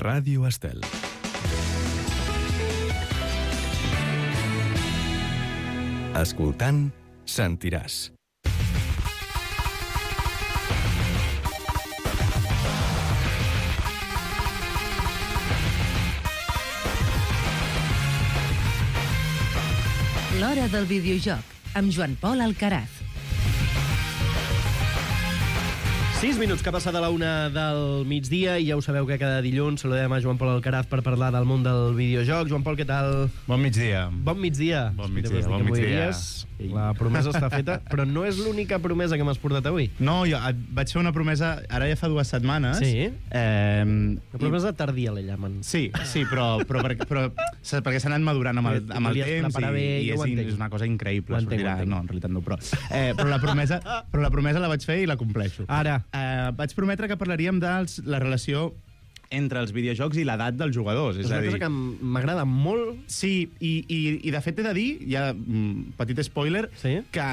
Ràdio Estel. Escoltant, sentiràs. L'Hora del Videojoc, amb Joan Pol Alcaraz. 6 minuts que ha passat a la 1 del migdia i ja ho sabeu que cada dilluns saludem a Joan Pol Alcaraz per parlar del món del videojoc. Joan Pol, què tal? Bon migdia. Bon migdia. Bon migdia, bon migdia. La promesa està feta, però no és l'única promesa que m'has portat avui. No, jo vaig fer una promesa, ara ja fa 2 setmanes. Sí? La promesa tardia, la llamen. Sí, perquè s'ha anat madurant amb el temps i és una cosa increïble. No, en realitat no, però la promesa la vaig fer i la compleixo. Ara. Vaig prometre que parlaríem de la relació entre els videojocs i l'edat dels jugadors. És una cosa que m'agrada molt. Sí, i de fet he de dir, ja petit spoiler, que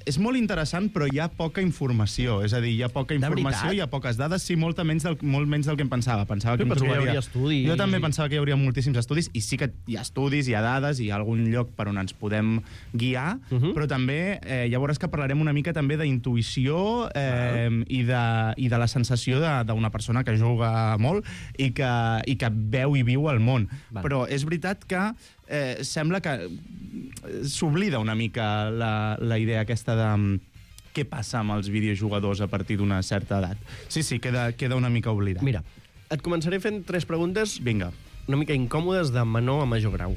és molt interessant, però hi ha poca informació. És a dir, hi ha poca informació, hi ha poques dades, sí, molt menys del que em pensava. Pensava que hi hauria estudis. Jo també pensava que hi hauria moltíssims estudis, i sí que hi ha estudis, hi ha dades, hi ha algun lloc per on ens podem guiar, però també ja veuràs que parlarem una mica també d'intuïció i de la sensació d'una persona que juga molt i que veu i viu el món. Però és veritat que sembla que s'oblida una mica la idea aquesta de què passa amb els videojugadors a partir d'una certa edat. Sí, queda una mica oblidat. Mira, et començaré fent 3 preguntes. Vinga. Una mica incòmodes de menor a major grau.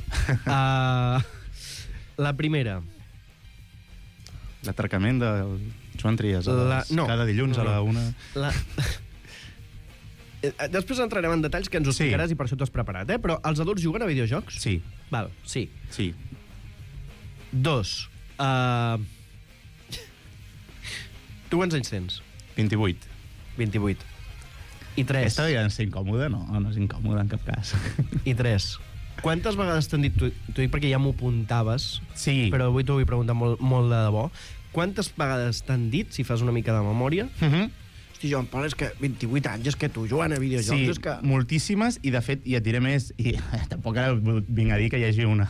La primera. L'atracament de Joan Trias cada dilluns a la 1. Després entrarem en detalls que ens ho explicaràs i per això t'ho has preparat, però els adults juguen a videojocs? Sí. Val, sí. 2. Tu quants anys tens? 28. 28. I 3. Aquesta ja és incòmoda? No és incòmoda en cap cas. I 3. Quantes vegades t'han dit, t'ho dic perquè ja m'ho apuntaves, però avui t'ho vull preguntar molt, molt de debò, quantes vegades t'han dit, si fas una mica de memòria, hosti, Joan Pol, és que 28 anys, és que tu jugant a videojocs... Sí, és que... moltíssimes, i de fet, i et diré més, i tampoc ara vinc a dir que hi hagi una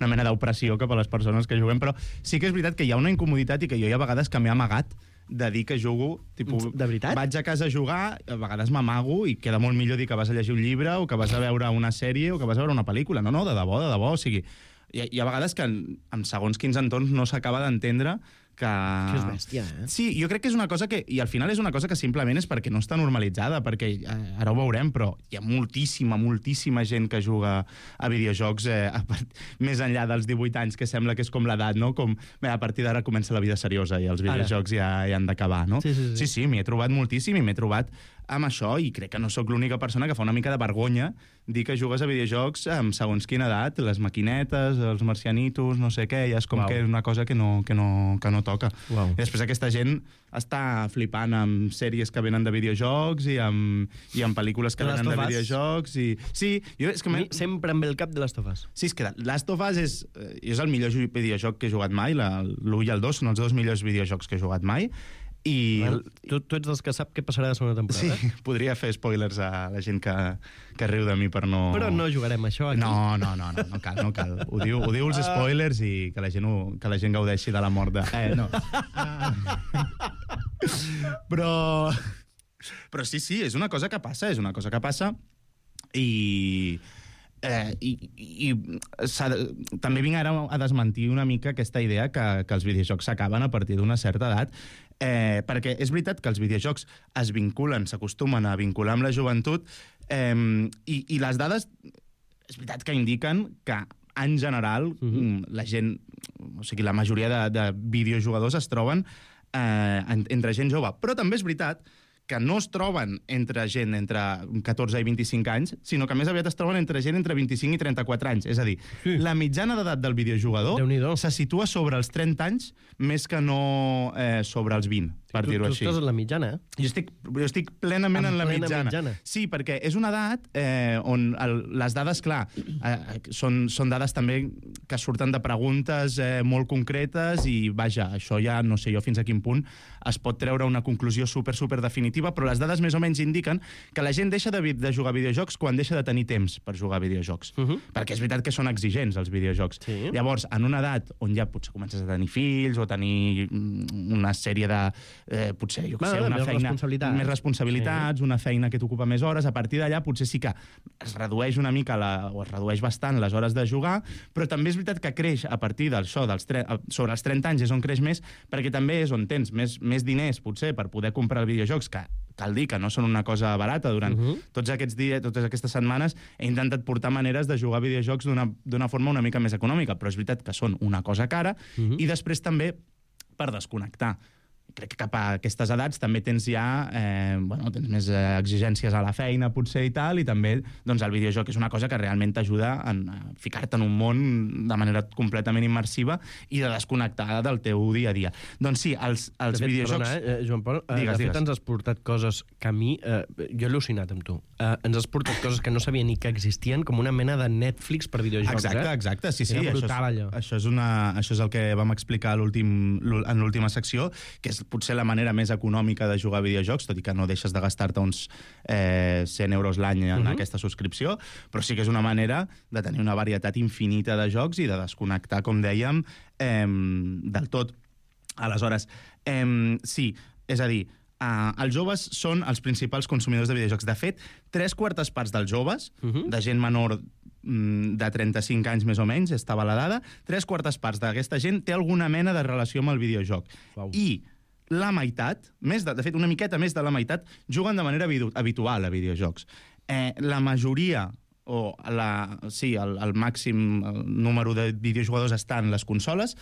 mena d'opressió cap a les persones que juguem, però sí que és veritat que hi ha una incomoditat i que jo hi ha vegades que m'he amagat de dir que jugo, tipus, de veritat? Vaig a casa a jugar, a vegades m'amago i queda molt millor dir que vas a llegir un llibre o que vas a veure una sèrie o que vas a veure una pel·lícula. No, de debò, o sigui, hi ha vegades que en segons quins entorns no s'acaba d'entendre que és bèstia, Sí, jo crec que és una cosa que... I al final és una cosa que simplement és perquè no està normalitzada, perquè ara ho veurem, però hi ha moltíssima gent que juga a videojocs més enllà dels 18 anys, que sembla que és com l'edat, no? Com a partir d'ara comença la vida seriosa i els videojocs ja han d'acabar, no? Sí, m'hi he trobat moltíssim i m'he trobat amb això, i crec que no sóc l'única persona que fa una mica de vergonya dir que jugues a videojocs amb segons quina edat, les maquinetes, els marcianitos, no sé què, ja és com que és una cosa que no toca. I després aquesta gent està flipant amb sèries que venen de videojocs i amb pel·lícules que venen de videojocs i... Sí, sempre em ve el cap de Last of Us. Sí, és que Last of Us és el millor videojoc que he jugat mai, l'1 i el 2 són els 2 millors videojocs que he jugat mai. Tu ets dels que sap què passarà la segona temporada? Sí, podria fer spoilers a la gent que riu de mi per no... Però no jugarem això aquí. No cal. Ho diu els spoilers i que la gent gaudeixi de la mort de... No. Però sí, és una cosa que passa, i també vinc ara a desmentir una mica aquesta idea que els videojocs s'acaben a partir d'una certa edat, perquè és veritat que els videojocs s'acostumen a vincular amb la joventut, i les dades és veritat que indiquen que en general la gent, o sigui, la majoria de videojugadors es troben entre gent jove, però també és veritat que no es troben entre gent entre 14 i 25 anys, sinó que més aviat es troben entre gent entre 25 i 34 anys. És a dir, la mitjana d'edat del videojugador se situa sobre els 30 anys més que no sobre els 20, per dir-ho així. Tu estàs en la mitjana, Jo estic plenament en la mitjana. Sí, perquè és una edat on les dades, clar, són dades també que surten de preguntes molt concretes i, vaja, això ja no sé jo fins a quin punt es pot treure una conclusió super definitiva, però les dades més o menys indiquen que la gent deixa de jugar a videojocs quan deixa de tenir temps per jugar a videojocs. Perquè és veritat que són exigents, els videojocs. Sí. Llavors, en una edat on ja potser comences a tenir fills o tenir una sèrie de... potser, jo què sé, una feina... Més responsabilitats, una feina que t'ocupa més hores, a partir d'allà potser sí que es redueix una mica, o es redueix bastant les hores de jugar, però també és veritat que creix a partir d'això, sobre els 30 anys és on creix més, perquè també és on tens més diners, potser, per poder comprar videojocs, que cal dir que no són una cosa barata. Durant tots aquests dies, totes aquestes setmanes, he intentat portar maneres de jugar a videojocs d'una forma una mica més econòmica, però és veritat que són una cosa cara, i després també per desconnectar. Crec que cap a aquestes edats també tens ja tens més exigències a la feina, potser, i tal, i també doncs, el videojoc és una cosa que realment t'ajuda a ficar-te en un món de manera completament immersiva i de desconnectar del teu dia a dia. Doncs sí, els videojocs... Perdona, Joan Pol, de fet ens has portat coses que a mi... jo he al·lucinat amb tu. Ens has portat coses que no sabia ni que existien, com una mena de Netflix per videojocs. Exacte, sí. Era brutal, allò. Això és el que vam explicar en l'última secció, que és potser la manera més econòmica de jugar a videojocs, tot i que no deixes de gastar-te uns 100 euros l'any en aquesta subscripció, però sí que és una manera de tenir una varietat infinita de jocs i de desconnectar, com dèiem, del tot. Aleshores, sí, és a dir, els joves són els principals consumidors de videojocs. De fet, 3/4 parts dels joves, de gent menor de 35 anys més o menys, estava la dada, 3/4 parts d'aquesta gent té alguna mena de relació amb el videojoc. Uau. I la meitat, de fet, una miqueta més de la meitat, juguen de manera habitual a videojocs. La majoria, el màxim número de videojugadors està en les consoles,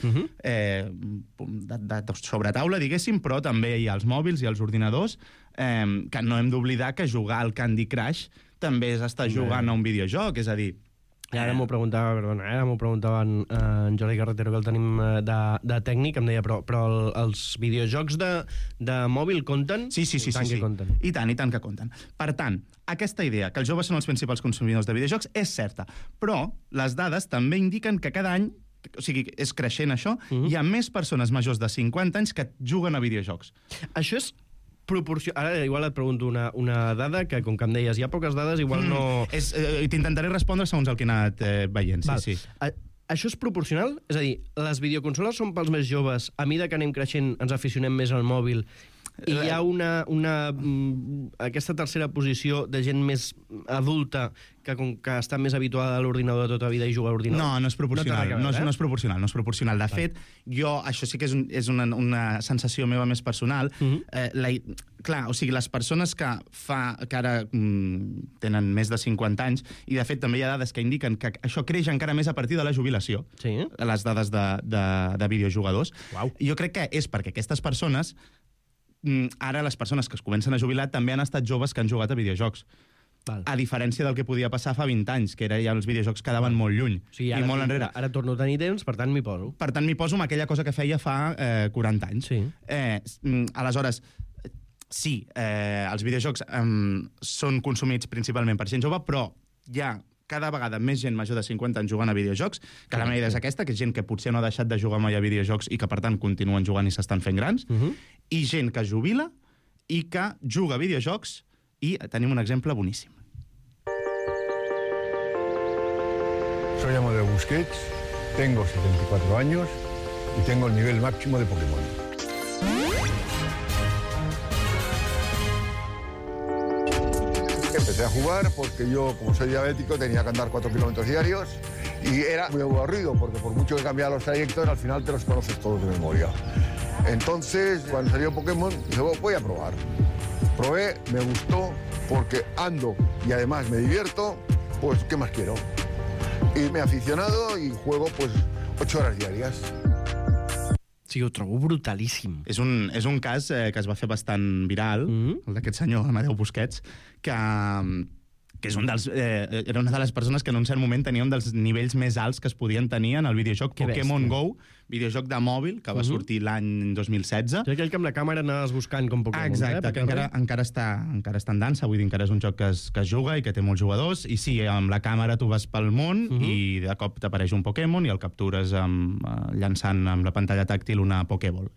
sobre taula, diguéssim, però també hi ha els mòbils i els ordinadors, que no hem d'oblidar que jugar al Candy Crush també és estar jugant a un videojoc, és a dir... I ara m'ho preguntava en Jordi Carretero, que el tenim de tècnic, em deia, però els videojocs de mòbil compten? Sí. I tant que compten. Per tant, aquesta idea, que els joves són els principals consumidors de videojocs, és certa, però les dades també indiquen que cada any, o sigui, és creixent això, hi ha més persones majors de 50 anys que juguen a videojocs. Això és Ara igual et pregunto una dada que, com que em deies, hi ha poques dades, igual no... T'intentaré respondre segons el que he anat veient, sí. Això és proporcional? És a dir, les videoconsoles són pels més joves, a mesura que anem creixent ens aficionem més al mòbil, i hi ha aquesta tercera posició de gent més adulta que està més habituada a l'ordinador de tota vida i juga a l'ordinador? No és proporcional. No és proporcional. De fet, això sí que és una sensació meva més personal. Clar, o sigui, les persones que ara tenen més de 50 anys, i de fet també hi ha dades que indiquen que això creix encara més a partir de la jubilació, les dades de videojugadors. Jo crec que és perquè aquestes persones, ara les persones que es comencen a jubilar també han estat joves que han jugat a videojocs. A diferència del que podia passar fa 20 anys, que ja els videojocs quedaven molt lluny i molt enrere. Ara torno a tenir temps, per tant m'hi poso. Per tant, m'hi poso amb aquella cosa que feia fa 40 anys. Aleshores, sí, els videojocs són consumits principalment per gent jove, però hi ha cada vegada més gent major de 50 anys jugant a videojocs, que la meva idea és aquesta, que és gent que potser no ha deixat de jugar mai a videojocs i que, per tant, continuen jugant i s'estan fent grans, i gent que es jubila i que juga a videojocs, i tenim un exemple boníssim. Soy Amadeo Busquets, tengo 74 años y tengo el nivel máximo de Pokémon. Empecé a jugar porque yo, como soy diabético, tenía que andar 4 kilómetros diarios y era muy aburrido porque por mucho que cambiara los trayectos, al final te los conoces todos de memoria. Entonces, cuando salió Pokémon, dije, voy a probar. Probé, me gustó, porque ando y además me divierto, pues ¿qué más quiero? Y me he aficionado y juego pues 8 horas diarias. Sí, ho trobo brutalíssim. És un cas que es va fer bastant viral, el d'aquest senyor Amadeu Busquets, que és era una de les persones que en un cert moment tenia un dels nivells més alts que es podien tenir en el videojoc Pokémon Go, videojoc de mòbil que va sortir l'any 2016. És aquell que amb la càmera anaves buscant com Pokémon. Exacte, que encara està en dansa, vull dir, encara és un joc que es juga i que té molts jugadors, i sí, amb la càmera tu vas pel món i de cop t'apareix un Pokémon i el captures llançant amb la pantalla tàctil una Pokéball.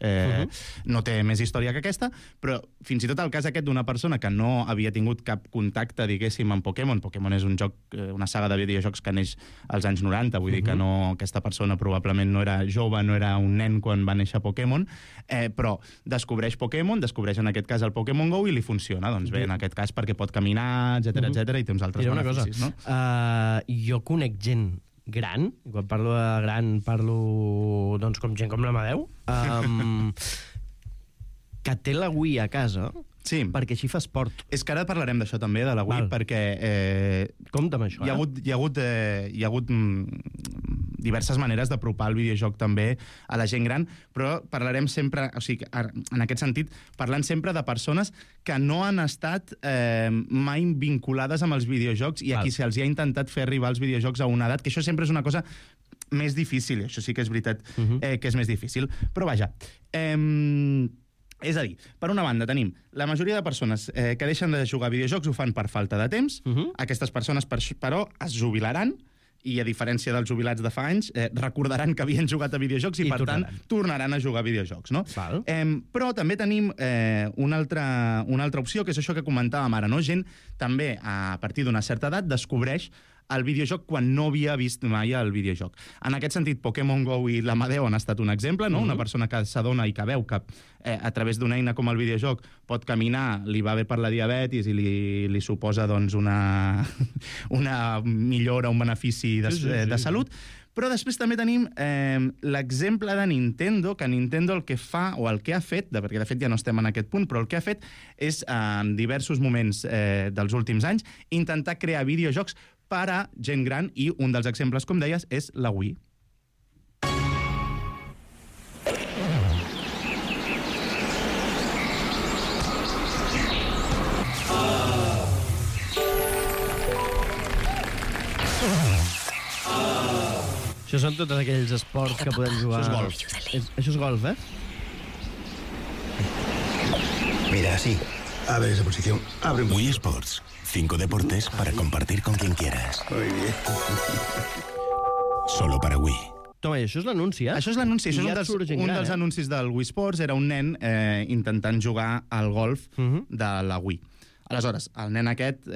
No té més història que aquesta, però fins i tot el cas aquest d'una persona que no havia tingut cap contacte, diguéssim, amb Pokémon. Pokémon és un joc, una saga de videojocs que neix als anys 90, vull dir que no, aquesta persona probablement no era jove, no era un nen quan va néixer Pokémon, però descobreix Pokémon, descobreix en aquest cas el Pokémon GO i li funciona, doncs bé, en aquest cas perquè pot caminar, etcètera, i té uns altres beneficis, no? Jo conec gent gran, i quan parlo de gran parlo doncs com gent com l'Amadeu, que té la Wii a casa perquè així fa esport. És que ara parlarem d'això també, de la Wii, perquè compte amb això, hi ha hagut diverses maneres d'apropar el videojoc també a la gent gran, però parlarem sempre, o sigui, en aquest sentit, parlant sempre de persones que no han estat mai vinculades amb els videojocs i a qui se'ls ha intentat fer arribar els videojocs a una edat, que això sempre és una cosa més difícil, això sí que és veritat que és més difícil. Però vaja, és a dir, per una banda tenim la majoria de persones que deixen de jugar a videojocs ho fan per falta de temps, aquestes persones però es jubilaran i a diferència dels jubilats de fa anys recordaran que havien jugat a videojocs i per tant tornaran a jugar a videojocs, no? Però també tenim una altra opció, que és això que comentàvem ara, no? Gent també a partir d'una certa edat descobreix el videojoc quan no havia vist mai el videojoc. En aquest sentit, Pokémon GO i l'Amadeu han estat un exemple, no? Una persona que s'adona i que veu que a través d'una eina com el videojoc pot caminar, li va bé per la diabetis i li suposa doncs, una millora, un benefici de salut. Però després també tenim l'exemple de Nintendo, que Nintendo el que fa, o el que ha fet, perquè de fet ja no estem en aquest punt, però el que ha fet és, en diversos moments dels últims anys, intentar crear videojocs per a gent gran, i un dels exemples, com deies, és la Wii. Això són tots aquells esports que podem jugar... Això és golf. Això és golf, Mira, así. Abre esa posición. Abre un... Wii Sports. 5 deportes para compartir con quien quieras. Muy bien. Solo para Wii. Toma, això és l'anunci, Això és l'anunci. Això és un dels anuncis del Wii Sports. Era un nen intentant jugar al golf de la Wii. Aleshores, el nen aquest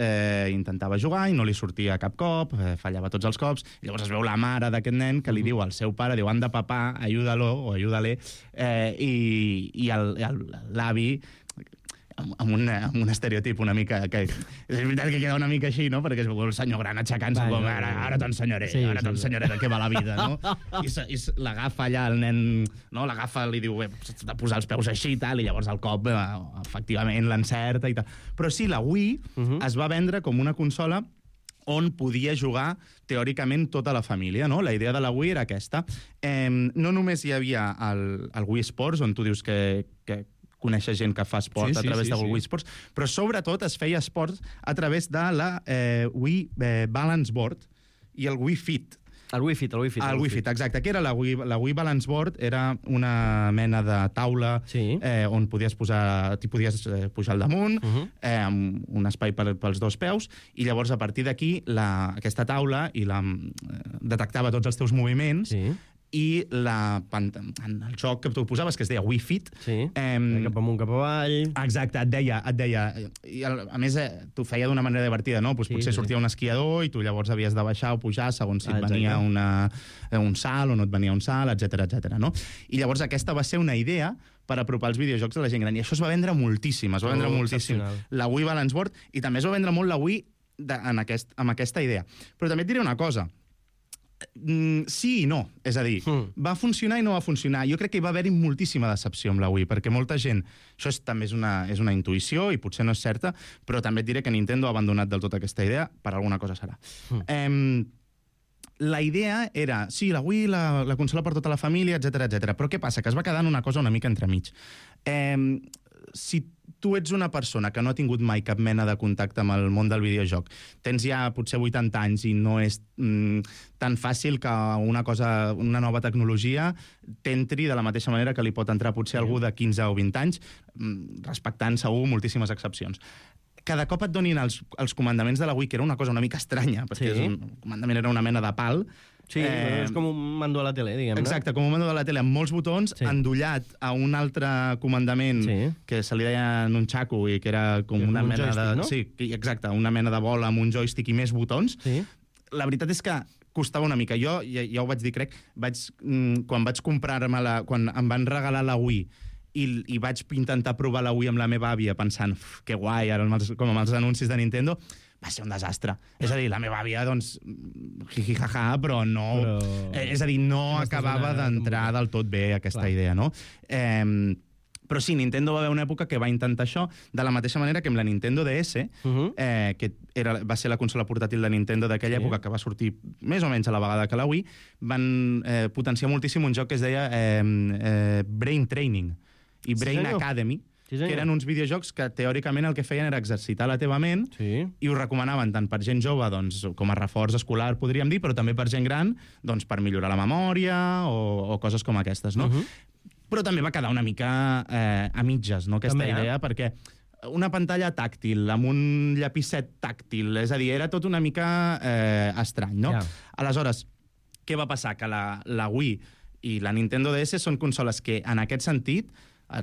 intentava jugar i no li sortia cap cop, fallava tots els cops, i llavors es veu la mare d'aquest nen que li diu al seu pare, diu, anda, papà, ayúdalo o ayúdale, i l'avi, amb un estereotip una mica... que és veritat que queda una mica així, no? Perquè es veu el senyor gran aixecant-se com ara t'ensenyaré, t'ensenyaré de què va la vida, no? I l'agafa allà el nen, no? L'agafa, li diu, s'ha de posar els peus així i tal, i llavors el cop, efectivament, l'encerta i tal. Però sí, la Wii es va vendre com una consola on podia jugar, teòricament, tota la família, no? La idea de la Wii era aquesta. No només hi havia el Wii Sports, on tu dius que conèixer gent que fa esport a través de Wii Sports, però sobretot es feia esport a través de la Wii Balance Board i el Wii Fit. El Wii Fit. El Wii Fit, exacte. Què era la Wii Balance Board? Era una mena de taula on podies pujar al damunt, amb un espai pels dos peus, i llavors a partir d'aquí aquesta taula detectava tots els teus moviments, i en el joc que tu posaves, que es deia Wii Fit... cap amunt, cap avall... Exacte, et deia... I a més, t'ho feia d'una manera divertida, no? Potser sortia un esquiador i tu llavors havies de baixar o pujar segons si et venia un salt o no et venia un salt, etcètera, no? I llavors aquesta va ser una idea per apropar els videojocs a la gent gran. I això es va vendre moltíssim, la Wii Balance Board, i també es va vendre molt la Wii amb aquesta idea. Però també et diré una cosa, sí i no, és a dir, va funcionar i no va funcionar. Jo crec que hi va haver-hi moltíssima decepció amb la Wii, perquè molta gent, això també és una intuïció i potser no és certa, però també et diré que Nintendo ha abandonat del tot aquesta idea, per alguna cosa serà. La idea era, sí, la Wii, la consola per tota la família, etcètera, però què passa? Que es va quedar en una cosa una mica entremig. Si tu ets una persona que no ha tingut mai cap mena de contacte amb el món del videojoc, tens ja potser 80 anys i no és tan fàcil que una nova tecnologia t'entri de la mateixa manera que li pot entrar potser algú de 15 o 20 anys, respectant segur moltíssimes excepcions. Cada cop et donin els comandaments de la Wii, que era una cosa una mica estranya, perquè el comandament era una mena de pal. Sí, és com un mando de la tele, diguem-ne. Exacte, com un mando de la tele, amb molts botons, endollat a un altre comandament que se li deia nunchaku, i que era com una mena de... no? Sí, exacte, una mena de bola amb un joystick i més botons. La veritat és que costava una mica. Jo, ja ho vaig dir, crec, quan vaig comprar-me-la, quan em van regalar la Wii, i vaig intentar provar la Wii amb la meva àvia pensant, que guai, ara com amb els anuncis de Nintendo, va ser un desastre. És a dir, la meva àvia, doncs, jijijaja, però no... És a dir, no acabava d'entrar del tot bé aquesta idea, no? Però sí, Nintendo va haver una època que va intentar això, de la mateixa manera que amb la Nintendo DS, que va ser la consola portàtil de Nintendo d'aquella època, que va sortir més o menys a la vegada que la Wii, van potenciar moltíssim un joc que es deia Brain Training i Brain Academy, que eren uns videojocs que teòricament el que feien era exercitar la teva ment i ho recomanaven tant per gent jove, doncs, com a reforç escolar, podríem dir, però també per gent gran, doncs, per millorar la memòria o coses com aquestes, no? Però també va quedar una mica a mitges, no?, aquesta idea, perquè una pantalla tàctil, amb un llapisset tàctil, és a dir, era tot una mica estrany, no? Aleshores, què va passar? Que la Wii i la Nintendo DS són consoles que, en aquest sentit,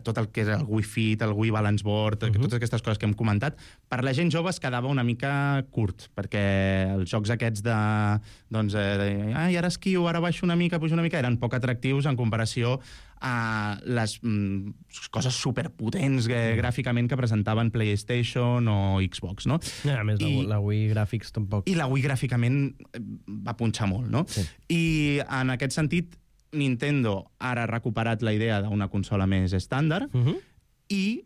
tot el que és el Wii Fit, el Wii Balance Board, totes aquestes coses que hem comentat, per la gent jove es quedava una mica curt, perquè els jocs aquests doncs, ai, ara esquio, ara baixo una mica, pujo una mica, eren poc atractius en comparació a les coses superpotents gràficament que presentaven PlayStation o Xbox, no? A més, la Wii Graphics tampoc. I la Wii gràficament va punxar molt, no? I en aquest sentit, Nintendo ara ha recuperat la idea d'una consola més estàndard i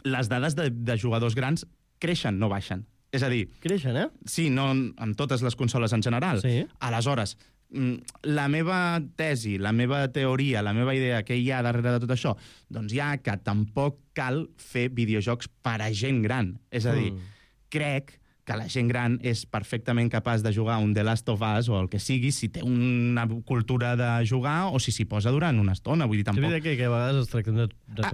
les dades de jugadors grans creixen, no baixen. És a dir... Creixen, Sí, no amb totes les consoles en general. Aleshores, la meva tesi, la meva teoria, la meva idea que hi ha darrere de tot això, doncs ja que tampoc cal fer videojocs per a gent gran. És a dir, crec que la gent gran és perfectament capaç de jugar un The Last of Us o el que sigui, si té una cultura de jugar o si s'hi posa durant una estona. Vull dir, tampoc... Sí, que a vegades es tracten de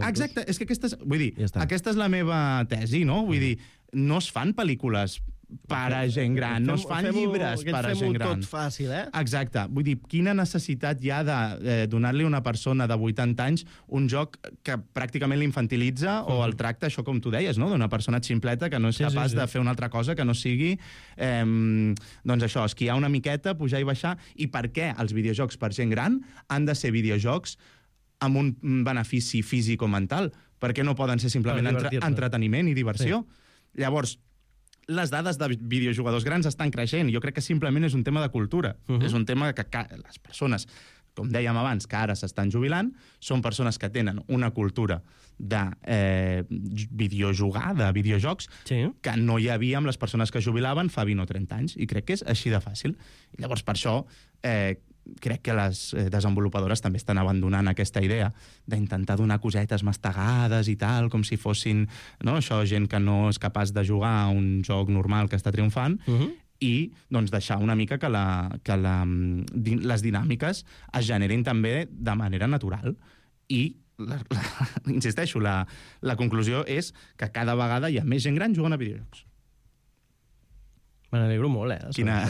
exacte, és que aquesta és la meva tesi, no? Vull dir, no es fan pel·lícules per a gent gran, no es fan llibres per a gent gran. Tot fàcil, Exacte. Vull dir, quina necessitat hi ha de donar-li a una persona de 80 anys un joc que pràcticament l'infantilitza o el tracta, això com tu deies, no?, d'una persona ximpleta que no és capaç de fer una altra cosa que no sigui, doncs això, esquiar una miqueta, pujar i baixar. I per què els videojocs per gent gran han de ser videojocs amb un benefici físic o mental? Per què no poden ser simplement entreteniment i diversió? Llavors, les dades de videojugadors grans estan creixent. Jo crec que simplement és un tema de cultura. És un tema que les persones, com dèiem abans, que ara s'estan jubilant, són persones que tenen una cultura de videojugar, de videojocs, que no hi havia amb les persones que jubilaven fa 20 o 30 anys. I crec que és així de fàcil. I llavors, per això, crec que les desenvolupadores també estan abandonant aquesta idea d'intentar donar cosetes mastegades i tal, com si fossin, no, això, gent que no és capaç de jugar a un joc normal que està triomfant, i doncs, deixar una mica que les dinàmiques es generin també de manera natural. I, insisteixo, la conclusió és que cada vegada hi ha més gent gran jugant a videojocs. Me n'alegro molt, Quina...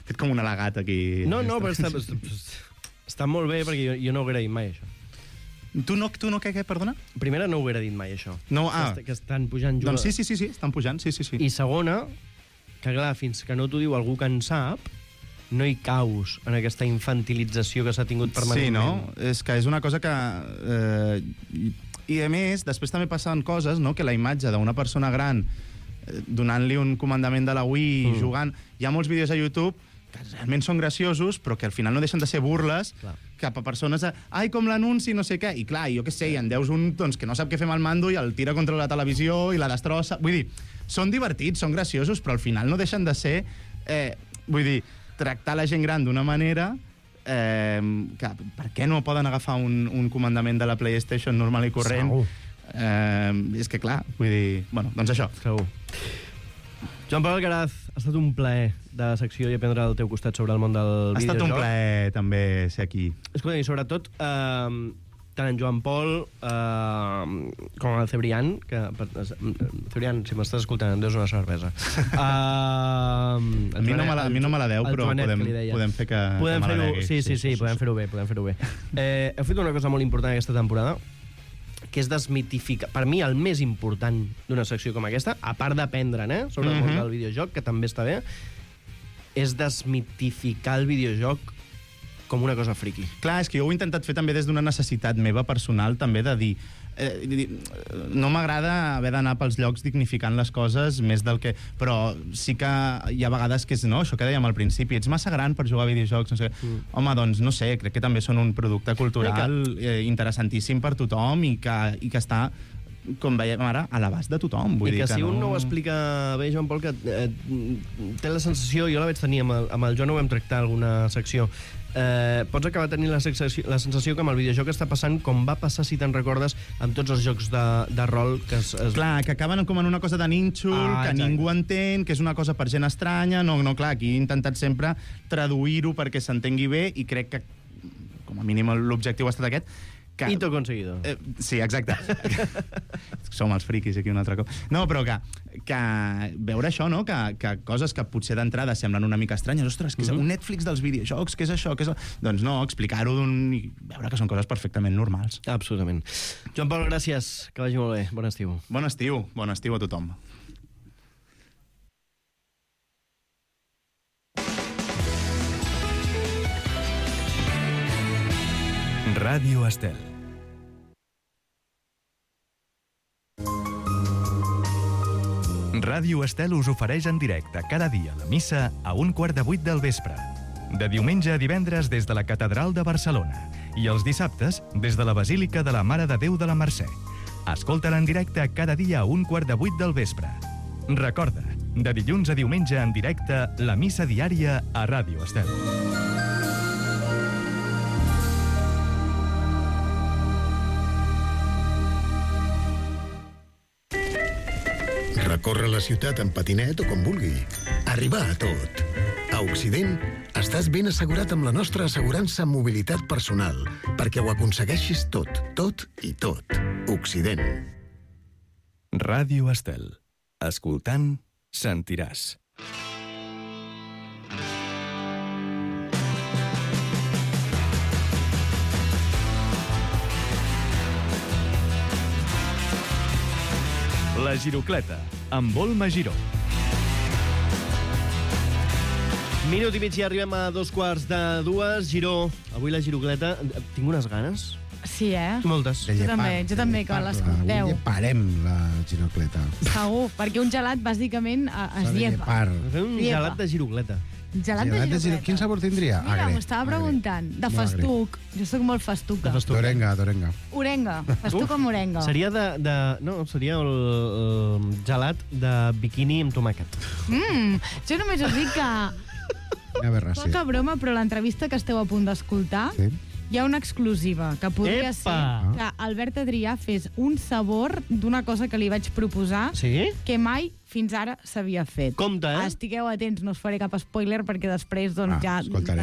Fet com un al·legat aquí. No, però està molt bé, perquè jo no ho hauria dit mai, això. Tu no què, perdona? Primera, no ho hauria dit mai, això. No, que estan pujant jugadors. Doncs sí, estan pujant, sí. I segona, que clar, fins que no t'ho diu algú que en sap, no hi caus en aquesta infantilització que s'ha tingut permanentment. Sí, no? És que és una cosa que... I a més, després també passen coses, no?, que la imatge d'una persona gran donant-li un comandament de la Wii, jugant... Hi ha molts vídeos a YouTube que realment són graciosos, però que al final no deixen de ser burles cap a persones de, ai, com l'anunci, no sé què. I clar, jo què sé, en deus un doncs, que no sap què fer amb el mando i el tira contra la televisió i la destrossa. Vull dir, són divertits, són graciosos, però al final no deixen de ser... vull dir, tractar la gent gran d'una manera... que, per què no poden agafar un comandament de la PlayStation normal i corrent És que, clar, vull dir... Bueno, doncs això. Segur. Joan Pol Alcaraz, ha estat un plaer de secció i aprendre al teu costat sobre el món del videojoc. Ha estat un plaer, també, ser aquí. Escolta, i sobretot, tant en Joan Pol com el Cebrián, que... Cebrián, si m'estàs escoltant, em deus una cervesa. A mi no me la deu, però podem fer que me la degui. Sí, podem fer-ho bé. Heu fet una cosa molt important aquesta temporada, que és desmitificar... Per mi, el més important d'una secció com aquesta, a part d'aprendre'n, sobre el món del videojoc, que també està bé, és desmitificar el videojoc com una cosa friqui. Clar, és que jo ho he intentat fer també des d'una necessitat meva personal, també de dir... no m'agrada haver d'anar pels llocs dignificant les coses més del que... Però sí que hi ha vegades que és, no, això que dèiem al principi, ets massa gran per jugar a videojocs, no sé. Home, doncs, no sé, crec que també són un producte cultural interessantíssim per tothom i que està, com veiem ara, a l'abast de tothom. Vull dir que si un no ho explica bé, Joan Pol, que té la sensació, jo la vaig tenir amb el Joan, ho vam tractar alguna secció, pots acabar tenint la sensació que amb el videojoc està passant com va passar, si te'n recordes, amb tots els jocs de rol que Clar, que acaben com en una cosa de nínxol, que ningú entén, que és una cosa per gent estranya. No, clar, aquí he intentat sempre traduir-ho perquè s'entengui bé i crec que, com a mínim, l'objectiu ha estat aquest. I t'ho he conseguido. Sí, exacte. Som els friquis aquí un altre cop. No, però que veure això, no? Que coses que potser d'entrada semblen una mica estranyes. Ostres, que és un Netflix dels videojocs, què és això? Doncs no, explicar-ho i veure que són coses perfectament normals. Absolutament. Joan Pol, gràcies. Que vagi molt bé. Bon estiu. Bon estiu a tothom. Ràdio Estel. Ràdio Estel us ofereix en directe cada dia la missa a 7:15 del vespre. De diumenge a divendres des de la Catedral de Barcelona i els dissabtes des de la Basílica de la Mare de Déu de la Mercè. Escolta-la en directe cada dia a 7:15 del vespre. Recorda, de dilluns a diumenge en directe, la missa diària a Ràdio Estel. Recórrer la ciutat en patinet o com vulgui. Arribar a tot. A Occident, estàs ben assegurat amb la nostra assegurança mobilitat personal, perquè ho aconsegueixis tot i tot. Occident. Ràdio Estel. Escoltant, sentiràs. La Girocleta, amb Volma Giró. Minut i mig i arribem a 2:15. Giró, avui la Girocleta... Tinc unes ganes. Sí, Moltes. Jo també, que l'escolteu. Avui parem la Girocleta. Segur, perquè un gelat, bàsicament, es llepa. Un gelat de Girocleta. Gelat de Girocleta. Quin sabor tindria? Mira, m'ho estava preguntant. De festuc. Jo soc molt festuca. D'orenga. Orenga. Festuc amb orenga. Seria No, seria el gelat de biquini amb tomàquet. Jo només us dic que... Poca broma, però l'entrevista que esteu a punt d'escoltar hi ha una exclusiva, que podria ser que Albert Adrià fes un sabor d'una cosa que li vaig proposar que mai fins ara s'havia fet. Compte, Estigueu atents, no us faré cap spoiler perquè després ja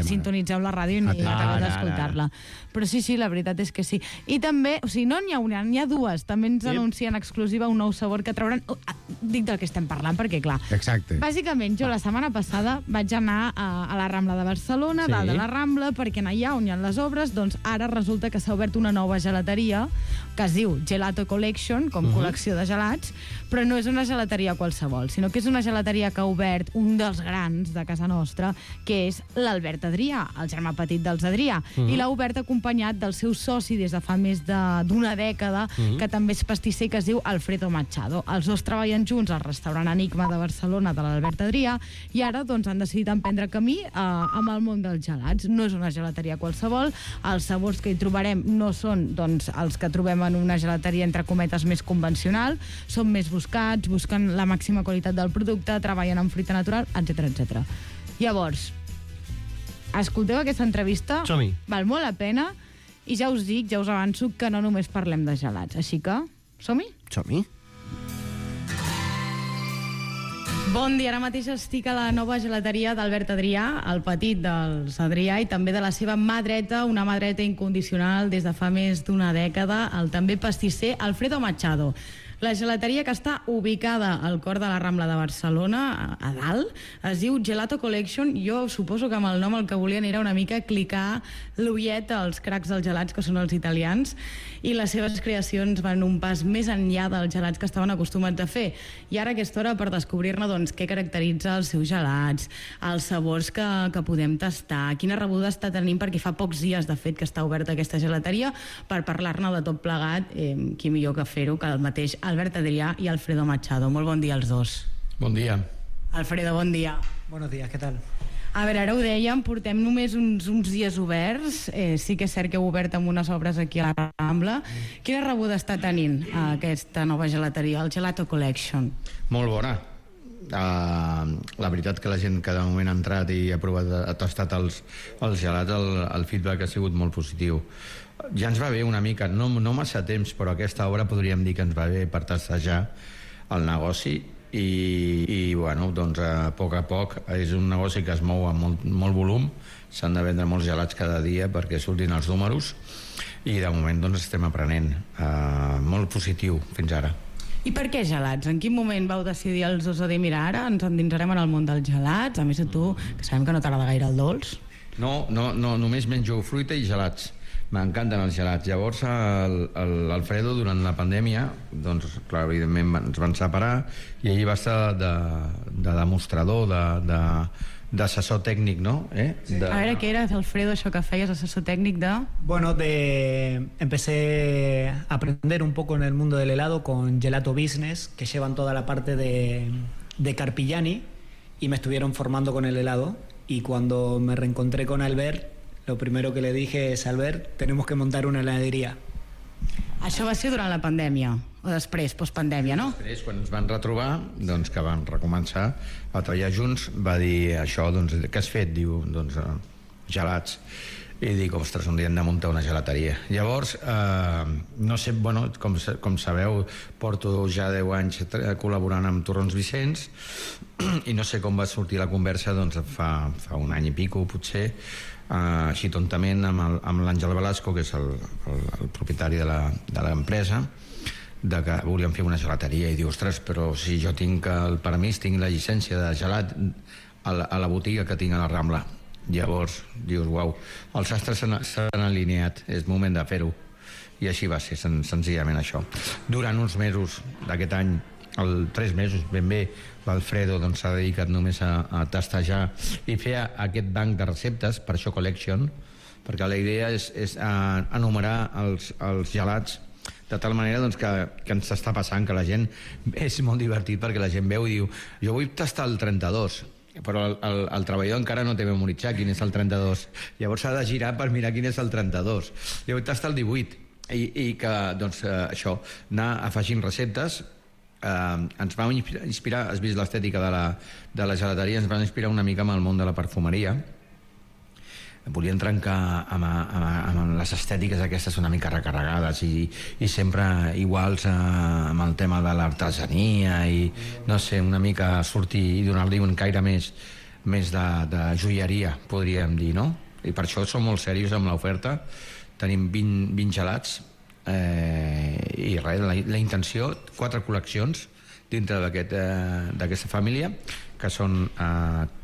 sintonitzeu la ràdio i acabeu d'escoltar-la. Però sí, la veritat és que sí. I també, o sigui, no n'hi ha una, n'hi ha dues. També ens anuncien exclusiva un nou sabor que trauran... Dic del que estem parlant, perquè clar... Exacte. Bàsicament, jo la setmana passada vaig anar a la Rambla de Barcelona, dalt de la Rambla, perquè allà on hi ha les obres, doncs ara resulta que s'ha obert una nova gelateria que es diu Gelato Collection, com col·lecció de gelats, però no és una gelateria qualsevol, sinó que és una gelateria que ha obert un dels grans de casa nostra, que és l'Albert Adrià, el germà petit dels Adrià, i l'ha obert acompanyat del seu soci des de fa més d'una dècada, que també és pastisser, que es diu Alfredo Machado. Els dos treballen junts al restaurant Enigma de Barcelona de l'Albert Adrià i ara doncs han decidit emprendre camí amb el món dels gelats. No és una gelateria qualsevol, els sabors que hi trobarem no són doncs els que trobem en una gelateria entre cometes més convencional, són més buscats, busquen la màxima qualitat del producte, treballen amb fruita natural, etc. Llavors, escolteu aquesta entrevista, val molt la pena, i ja us dic, ja us avanço que no només parlem de gelats, així que Som-hi? Som-hi. Bon dia, ara mateix estic a la nova gelateria d'Albert Adrià, el petit dels Adrià, i també de la seva mà dreta, una mà dreta incondicional des de fa més d'una dècada, el també pastisser Alfredo Machado. La gelateria, que està ubicada al cor de la Rambla de Barcelona, a dalt, es diu Gelato Collection. Jo suposo que amb el nom el que volien era una mica clicar l'ullet als cracs dels gelats, que són els italians, i les seves creacions van un pas més enllà dels gelats que estaven acostumats a fer. I ara aquesta hora per descobrir-ne doncs, què caracteritza els seus gelats, els sabors que podem tastar, quina rebuda està tenint, perquè fa pocs dies, de fet, que està oberta aquesta gelateria, per parlar-ne de tot plegat, qui millor que fer-ho que el mateix Albert Adrià i Alfredo Machado. Molt bon dia als dos. Bon dia. Alfredo, bon dia. Buenos días, ¿qué tal? A veure, ara ho dèiem, portem només uns dies oberts. Sí que és cert que heu obert amb unes obres aquí a la Rambla. Quina rebuda està tenint aquesta nova gelateria, el Gelato Collection? Molt bona. La veritat que la gent que de moment ha entrat i ha provat, ha tastat els gelats, el feedback ha sigut molt positiu. Ja ens va bé una mica, no massa temps, però aquesta obra podríem dir que ens va bé per tastejar el negoci i bueno, doncs a poc és un negoci que es mou amb molt volum, s'han de vendre molts gelats cada dia perquè surtin els números i de moment doncs estem aprenent, molt positiu fins ara. I per què gelats? En quin moment vau decidir els dos a dir, mira, ara ens endinsarem en el món dels gelats, a més a tu, que sabem que no t'agrada gaire el dolç? No, només menjo fruita i gelats. M'encanten els gelats. Llavors l'Alfredo, durant la pandèmia, doncs clar, evidentment ens van separar i ell va estar de demostrador, d'assessor tècnic, no? A veure, què era, Alfredo, això que feies, assessor tècnic de...? Bueno, empecé a aprender un poco en el mundo del helado con Gelato Business, que llevan toda la parte de Carpigiani, y me estuvieron formando con el helado. Y cuando me reencontré con Albert, lo primero que le dije es, Albert, tenemos que montar una heladería. Això va ser durant la pandèmia, o després, postpandèmia, no? Després, quan ens van retrobar, doncs que vam recomençar a treballar junts, va dir això, doncs, què has fet? Diu, doncs, gelats. I dic, ostres, un dia hem de muntar una gelateria. Llavors, no sé, bueno, com sabeu, porto ja 10 anys col·laborant amb Torrons Vicenç i no sé com va sortir la conversa, doncs fa un any i pico, potser, així tontament amb l'Àngel Velasco, que és el propietari de l'empresa, de que volíem fer una gelateria i diu, ostres, però si jo tinc el permís, tinc la llicència de gelat a la botiga que tinc a la Rambla. Llavors dius, uau, els astres s'han alineat, és moment de fer-ho. I així va ser, senzillament això. Durant uns mesos d'aquest any, 3 mesos ben bé, l'Alfredo s'ha dedicat només a tastejar i fer aquest banc de receptes, per això Collection, perquè la idea és enumerar els gelats de tal manera que ens està passant que la gent, és molt divertit perquè la gent veu i diu, jo vull tastar el 32, però el treballador encara no té memoritzat quin és el 32, llavors s'ha de girar per mirar quin és el 32, jo vull tastar el 18 i que, doncs, això, anar afegint receptes. Ens vam inspirar, has vist l'estètica de la gelateria, ens vam inspirar una mica amb el món de la perfumeria. Volien trencar amb les estètiques aquestes una mica recarregades i sempre iguals amb el tema de l'artesania i, no sé, una mica sortir i donar-li un caire més de joieria, podríem dir, no? I per això som molt serios amb l'oferta. Tenim 20 gelats i res, la intenció, 4 col·leccions dintre d'aquesta família, que són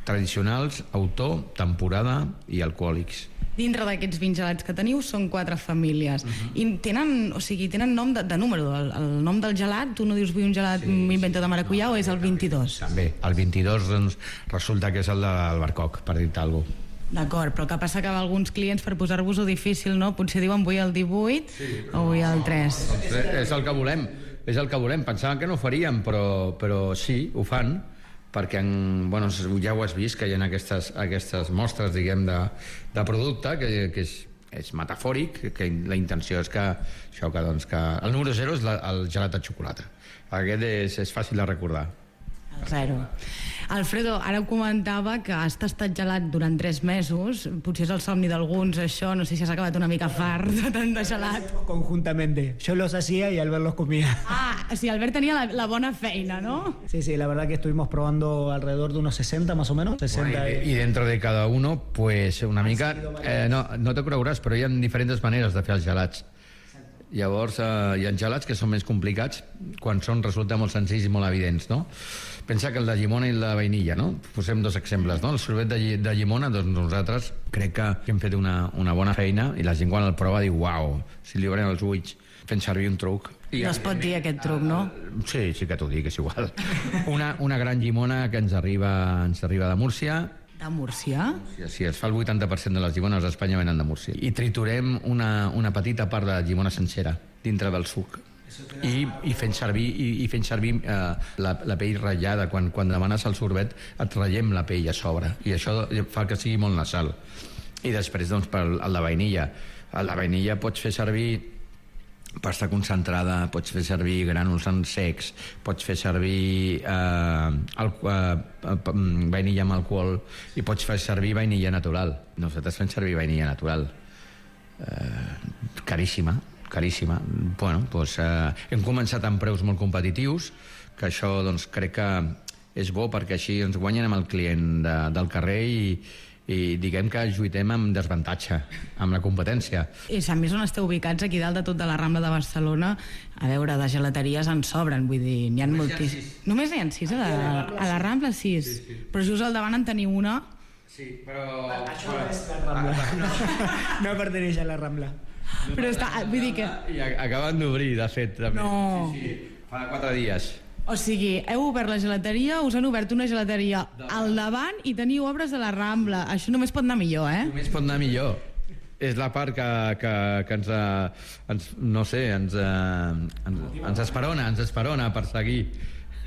tradicionals, autor, temporada i alcohòlics. Dintre d'aquests 20 gelats que teniu són 4 famílies. I tenen nom de número. El nom del gelat, tu no dius vull un gelat m'invento de maracuyà, o és el 22? També, el 22 doncs, resulta que és el del Barcoc, per dir-te alguna cosa. D'acord, però el que passa que alguns clients, per posar-vos-ho difícil, no? Potser diuen vull el 18 o vull el 3. És el que volem. Pensàvem que no ho faríem, però sí, ho fan, perquè ja ho has vist, que hi ha aquestes mostres, diguem, de producte, que és metafòric, que la intenció és que el número 0 és el gelat de xocolata. Aquest és fàcil de recordar. Zero. Alfredo, ara ho comentava que has tastat gelat durant 3 mesos, potser és el somni d'alguns això, no sé si has acabat una mica fart de tant de gelat. Conjuntamente, yo los hacía y Albert los comía. O sigui, Albert tenia la bona feina, ¿no? Sí, la verdad que estuvimos probando alrededor de unos 60 más o menos. 60 bueno, y dentro de cada uno, pues una mica... no te creuràs, però hi ha diferents maneres de fer els gelats. Llavors, hi ha gelats que són més complicats quan resulten molt senzills i molt evidents, no? Pensa que el de llimona i la vainilla, no? Posem 2 exemples, no? El sorbet de llimona, doncs nosaltres crec que hem fet una bona feina i la gent quan el prova diu, uau, si li obren els ulls fent servir un truc. No es pot dir aquest truc, no? Sí que t'ho dic, és igual. Una gran llimona que ens arriba de Múrcia. De Múrcia? Sí, es fa el 80% de les llimones a Espanya venen de Múrcia. I triturem una petita part de llimona sencera dintre del suc. I fent servir la pell ratllada. Quan demanes el sorbet et ratllem la pell a sobre i això fa que sigui molt nasal. I després, doncs, per el de vainilla. El de vainilla pots fer servir pasta concentrada, pots fer servir grànuls en secs, pots fer servir vainilla amb alcohol i pots fer servir vainilla natural. Nosaltres fem servir vainilla natural. Caríssima. Bueno, doncs, hem començat amb preus molt competitius, que això doncs, crec que és bo perquè així ens guanyen amb el client del carrer i diguem que lluitem amb desavantatge, amb la competència. I a més on esteu ubicats, aquí dalt de tot de la Rambla de Barcelona, a veure, de gelateries en sobren, vull dir, n'hi ha moltíssims. Només n'hi ha 6 a la Rambla, 6. Sí. Però just al davant en teniu una. Sí, però... Això és la Rambla. No perteneix a la Rambla. Però està, vull dir que... I acaben d'obrir, de fet, també. No. Sí, fa 4 dies. O sigui, heu obert la gelateria, us han obert una gelateria al davant i teniu obres a la Rambla. Això només pot anar millor, eh? Només pot anar millor. És la part que ens esperona per seguir.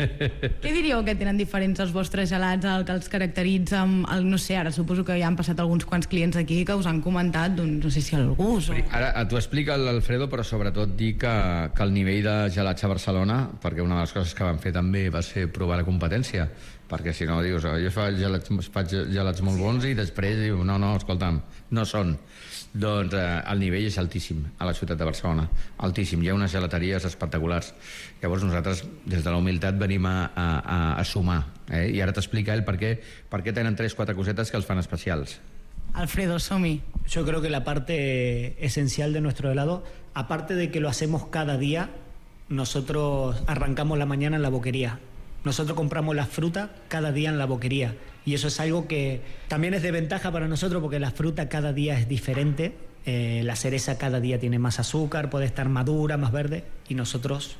Què diríeu que tenen diferents els vostres gelats, el que els caracteritza amb no sé, ara suposo que ja han passat alguns quants clients aquí que us han comentat, doncs no sé si el gust o... Ara t'ho explica l'Alfredo, però sobretot dir que el nivell de gelats a Barcelona, perquè una de les coses que vam fer també va ser provar la competència, perquè si no dius, jo faig gelats molt bons i després diu, no, escolta'm, no són. Doncs el nivell és altíssim a la ciutat de Barcelona, altíssim, hi ha unes gelateries espectaculars. Llavors nosaltres des de la humilitat venim a sumar, i ara t'explica ell per què tenen 3-4 cosetes que els fan especials. Alfredo, som-hi. Yo creo que la parte esencial de nuestro helado, aparte de que lo hacemos cada día, nosotros arrancamos la mañana en la boquería. Nosotros compramos la fruta cada día en la boquería y eso es algo que también es de ventaja para nosotros porque la fruta cada día es diferente, la cereza cada día tiene más azúcar, puede estar madura, más verde y nosotros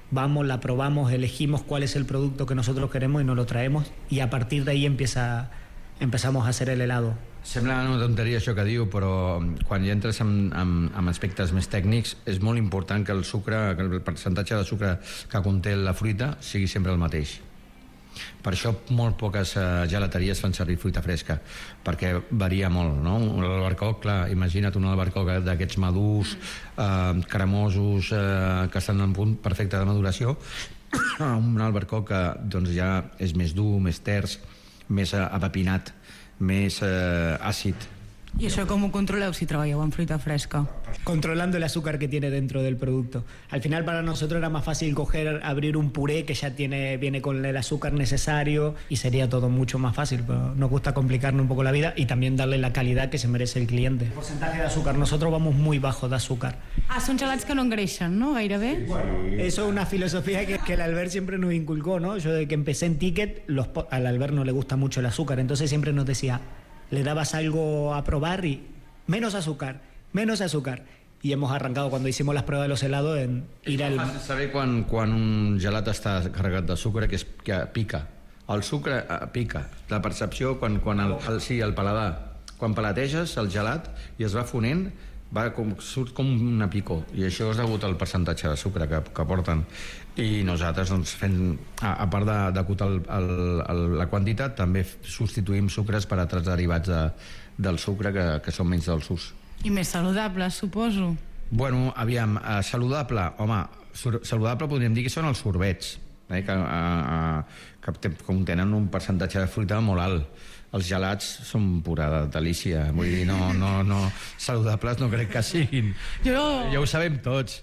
vamos, la probamos, elegimos cuál es el producto que nosotros queremos y nos lo traemos y a partir de ahí empezamos a hacer el helado. Sembla una tonteria això que diu, però quan ja entres en aspectes més tècnics és molt important que el percentatge de sucre que conté la fruita sigui sempre el mateix. Per això molt poques gelateries fan servir fruita fresca, perquè varia molt, no? L'albercoc, clar, imagina't un albercoc d'aquests madurs, cremosos, que estan en punt perfecte de maduració, un albercoc que doncs, ja és més dur, més ters, més apapinat, més àcid. ¿Y eso cómo controleu si trabajeu en fruita fresca? Controlando el azúcar que tiene dentro del producto. Al final para nosotros era más fácil abrir un puré que ya viene con el azúcar necesario y sería todo mucho más fácil, pero nos gusta complicarnos un poco la vida y también darle la calidad que se merece el cliente. El porcentaje de azúcar, nosotros vamos muy bajo de azúcar. Són gelats que no engreixen, ¿no? Gairebé. Sí. Eso es una filosofía que el Albert siempre nos inculcó, ¿no? Yo desde que empecé en Ticket, al Albert no le gusta mucho el azúcar, entonces siempre nos decía, le dabas algo a probar y menos azúcar. Y hemos arrancado cuando hicimos las pruebas de los helados en ir al... És fàcil saber quan un gelat està carregat de sucre, que pica. El sucre pica. La percepció, el paladar. Quan palateges el gelat i es va fonent, surt com una picor. I això és degut al percentatge de sucre que porten. I nosaltres, doncs, a part d'acotar la quantitat, també substituïm sucres per altres derivats del sucre que són menys dolços. I més saludables, suposo. Bueno, aviam, saludable, home, saludable podríem dir que són els sorbets, que contenen un percentatge de fruita molt alt. Els gelats són pura delícia, vull dir, no saludables no crec que siguin. Ja ho sabem tots.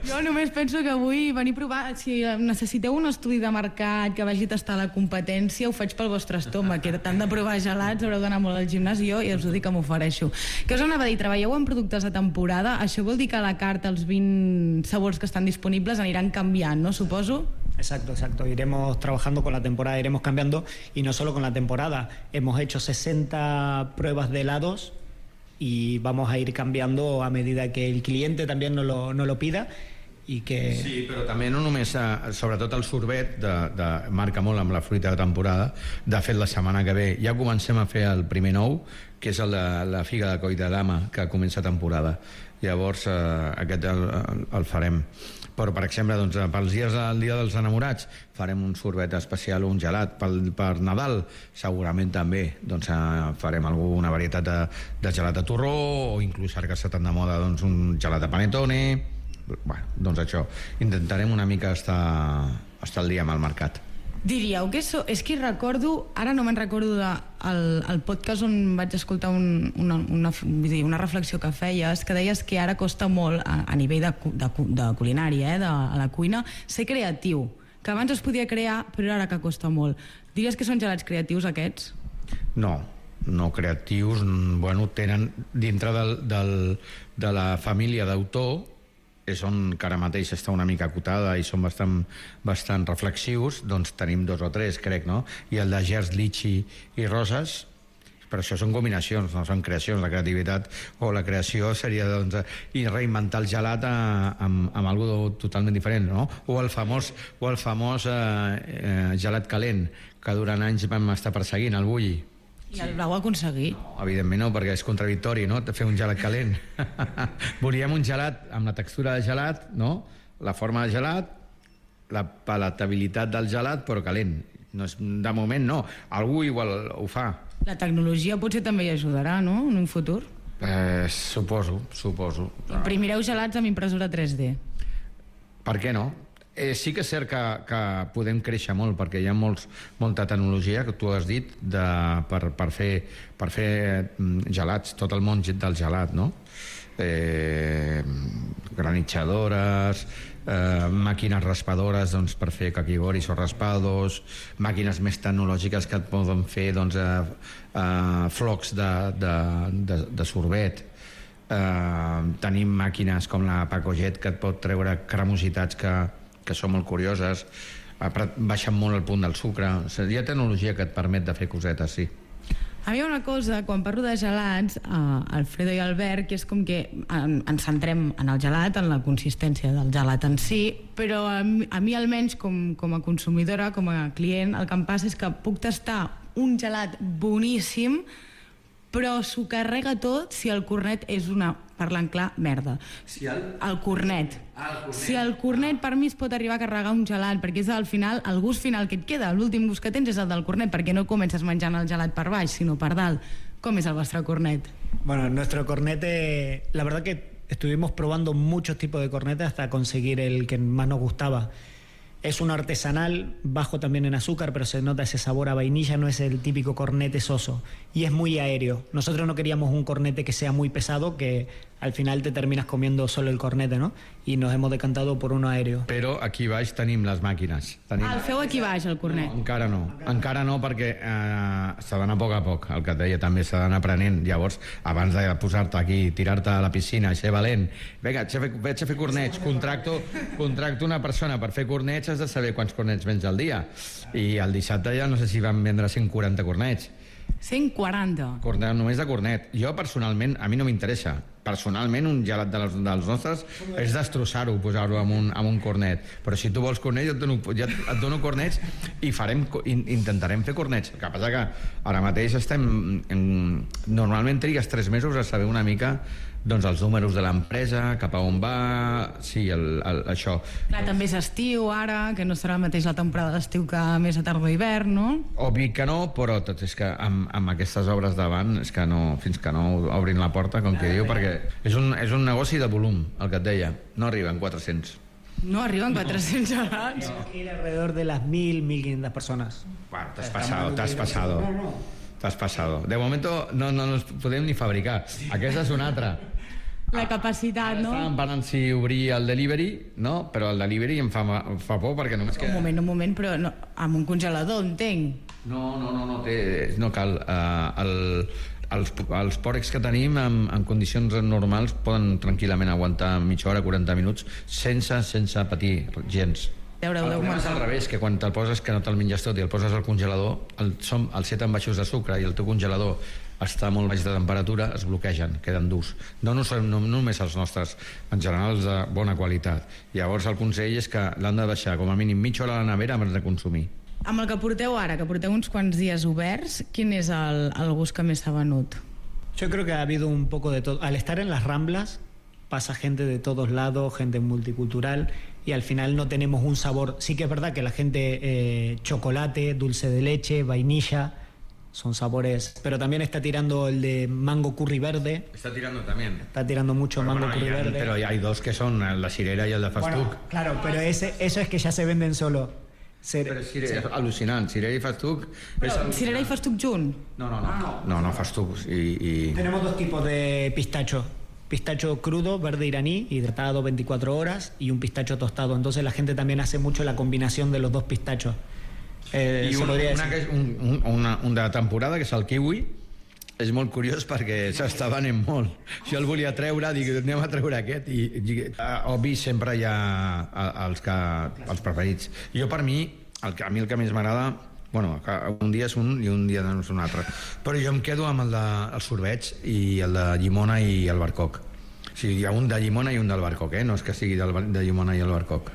Jo només penso que vull venir a provar. Si necessiteu un estudi de mercat que vagi a tastar la competència, ho faig pel vostre estómac, que tant de provar gelats haureu d'anar molt al gimnàs, i jo ja us ho dic que m'ofereixo. Què us anava a dir? Treballeu en productes de temporada? Això vol dir que a la carta els 20 sabors que estan disponibles aniran canviant, no? Suposo. Exacto. Iremos trabajando con la temporada, iremos cambiando, y no solo con la temporada. Hemos hecho 60 pruebas de helados y vamos a ir cambiando a medida que el cliente también no lo pida. I que... Sí, però també no només, sobretot el sorbet marca molt amb la fruita de temporada. De fet, la setmana que ve ja comencem a fer el primer nou, que és la figa de coll de dama, que comença temporada. Llavors aquest el farem. Però, per exemple, doncs, pels dies del Dia dels Enamorats farem un sorbet especial o un gelat. Per Nadal segurament també doncs, farem alguna varietat de gelat de torró, o inclús ara que està tan de moda doncs, un gelat de panettone. Bueno, doncs això, intentarem una mica estar al dia amb el mercat. Diríeu que és que recordo, ara no me'n recordo del podcast on vaig escoltar una reflexió que feies, que deies que ara costa molt a nivell de culinària, de la cuina, ser creatiu, que abans es podia crear però ara que costa molt. Diries que són gelats creatius aquests? No creatius, bueno, tenen dintre de la família d'autor, és on que ara mateix està una mica acotada i són bastant reflexius, doncs tenim 2 o 3, crec, no? I el de Gers, Litchi i Roses, però això són combinacions, no són creacions. La creativitat o la creació seria doncs, reinventar el gelat amb algo totalment diferent, no? O el famós gelat calent, que durant anys vam estar perseguint, el bulli. I el vau aconseguir? No, evidentment no, perquè és contradictori, no?, fer un gelat calent. Volíem un gelat amb la textura de gelat, no?, la forma de gelat, la palatabilitat del gelat, però calent. No és, de moment no, algú igual ho fa. La tecnologia potser també hi ajudarà, no?, en un futur? Suposo. Imprimireu gelats amb impressora 3D? Per què no? Sí que és cert que podem créixer molt, perquè hi ha molta tecnologia, que tu has dit, per fer gelats, tot el món del gelat, no? Granitxadores, màquines raspadores doncs, per fer caquigoris o raspados, màquines més tecnològiques que et poden fer doncs, flocs de sorbet. Tenim màquines com la Pacojet que et pot treure cremositats que són molt curioses, baixen molt el punt del sucre. Hi ha tecnologia que et permet de fer cosetes, sí. A mi hi ha una cosa, quan parlo de gelats, Alfredo i Albert, que és com que ens centrem en el gelat, en la consistència del gelat en si, però a mi almenys com a consumidora, com a client, el que em passa és que puc tastar un gelat boníssim, però s'ho carrega tot si el cornet és una, parlant clar, merda. El cornet. Si el cornet per mi es pot arribar a carregar un gelat, perquè és al final el gust final que et queda, l'últim gust que tens és el del cornet, perquè no comences menjant el gelat per baix, sinó per dalt. Com és el vostre cornet? Bueno, nuestro cornete, la verdad que estuvimos probando muchos tipos de cornetes hasta conseguir el que más nos gustaba. Es un artesanal, bajo también en azúcar, pero se nota ese sabor a vainilla, no es el típico cornete soso. Y es muy aéreo. Nosotros no queríamos un cornete que sea muy pesado, que al final te terminas comiendo solo el cornete, ¿no? Y nos hemos decantado por uno aéreo. Però aquí baix tenim les màquines. El feu aquí baix, el cornet? No, encara no, perquè s'ha d'anar a poc, el que et deia, també s'ha d'anar aprenent. Llavors, abans de posar-te aquí, tirar-te a la piscina i ser valent, vinga, vaig a fer cornets, contracto una persona per fer cornets, has de saber quants cornets vens al dia. I el dissabte ja no sé si van vendre 140 cornets. 140? Només de cornet. Jo, personalment, a mi no m'interessa. Personalment, un gelat dels nostres és destrossar-ho, posar-ho amb un cornet. Però si tu vols cornet, jo et dono cornets i intentarem fer cornets. El que passa que ara mateix normalment trigues 3 mesos a saber una mica doncs els números de l'empresa, cap a on va, sí, això. Clar, també és estiu ara, que no serà el mateix la temporada d'estiu que més a tardor hivern, no? Obvi que no, però tot és que amb aquestes obres davant, és que no, fins que no obrin la porta, com que diu, perquè és un negoci de volum, el que et deia, no arriben 400. No arriben 400 gelats. Ir alrededor de las 1.000-1.500 personas. Bueno, t'has pasado. De momento no nos podem ni fabricar. Aquesta és una altra. La capacitat, no? Estàvem parlant si obrir el delivery, no? Però el delivery em fa por perquè només queda... Un moment, però no, amb un congelador, entenc. No cal. Els pòrex que tenim en condicions normals poden tranquil·lament aguantar mitja hora, 40 minuts, sense patir gens. El problema és al revés, que quan te'l poses, que no te'l menges tot i el poses al congelador, els 7 envaixos de sucre i el teu congelador està molt baix de temperatura, es bloquegen, queden durs. No només els nostres, en general els de bona qualitat. Llavors el consell és que l'han de deixar com a mínim mitja hora a la nevera abans de consumir. Amb el que porteu ara, que porteu uns quants dies oberts, quin és el gust que més s'ha venut? Yo creo que ha habido un poco de todo. Al estar en las Ramblas pasa gente de todos lados, gente multicultural, y al final no tenemos un sabor. Sí que es verdad que la gente chocolate, dulce de leche, vainilla, son sabores, pero también está tirando el de mango curry verde. Está tirando también. Está tirando mucho mango curry verde. Pero hay dos que son la cirera y el de Fastuc. Claro, pero eso es que ya se venden solo. Però és al·lucinant, cirera i Fastuc... Cirera i Fastuc junt? No, Fastuc i... Tenemos dos tipos de pistacho. Pistacho crudo, verde iraní, hidratado 24 horas, y un pistacho tostado. Entonces la gente también hace mucho la combinación de los dos pistachos. I un de temporada, que és el kiwi, és molt curiós perquè s'està venent molt. Jo el volia treure, dic, anem a treure aquest, i obvi sempre hi ha els preferits. Jo, per mi, a mi el que més m'agrada, bueno, un dia és un i un dia és un altre, però jo em quedo amb el de sorbeig i el de llimona i el barcoc. O sigui, hi ha un de llimona i un del barcoc, no és que sigui de llimona i el barcoc.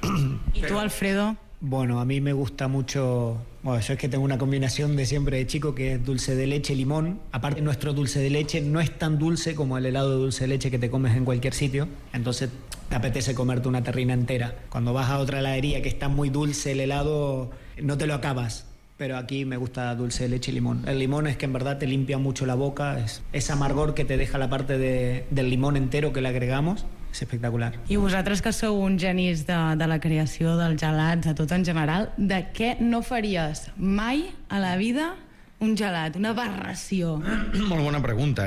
I tu, Alfredo? Bueno, a mí me gusta mucho... Bueno, yo es que tengo una combinación de siempre de chico, que es dulce de leche y limón. Aparte, nuestro dulce de leche no es tan dulce como el helado de dulce de leche que te comes en cualquier sitio. Entonces te apetece comerte una terrina entera. Cuando vas a otra heladería que está muy dulce el helado, no te lo acabas. Pero aquí me gusta dulce de leche y limón. El limón es que en verdad te limpia mucho la boca. Es amargor que te deja la parte del limón entero que le agregamos. És espectacular. I vosaltres, que sou uns genis de la creació dels gelats, de tot en general, de què no faries mai a la vida un gelat, una aberració? Molt bona pregunta,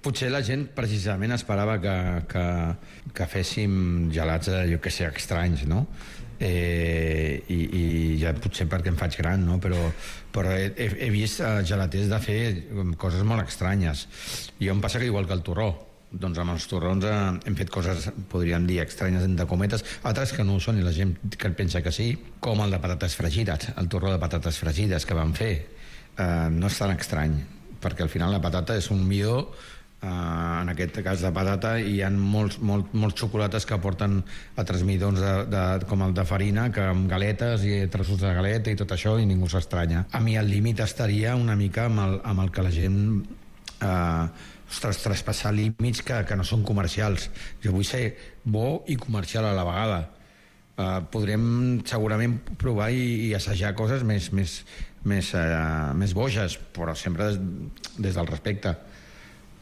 Potser la gent precisament esperava que féssim gelats, jo que sé, estranys, no? I ja potser perquè em faig gran, no? Però he vist gelaters de fer coses molt estranyes. I em passa que igual que el torró, doncs amb els torrons hem fet coses, podríem dir, estranyes entre cometes, altres que no ho són i la gent que pensa que sí, com el de patates fregides, el torró de patates fregides que vam fer. No és tan estrany, perquè al final la patata és un midó, en aquest cas de patata, i hi ha molts xocolates que porten altres midons com el de farina, que amb galetes i trossos de galeta i tot això, i ningú s'estranya. A mi el límit estaria una mica amb el que la gent traspassar límits que no són comercials. Jo vull ser bo i comercial a la vegada. Podrem segurament provar i assajar coses més boges, però sempre des del respecte.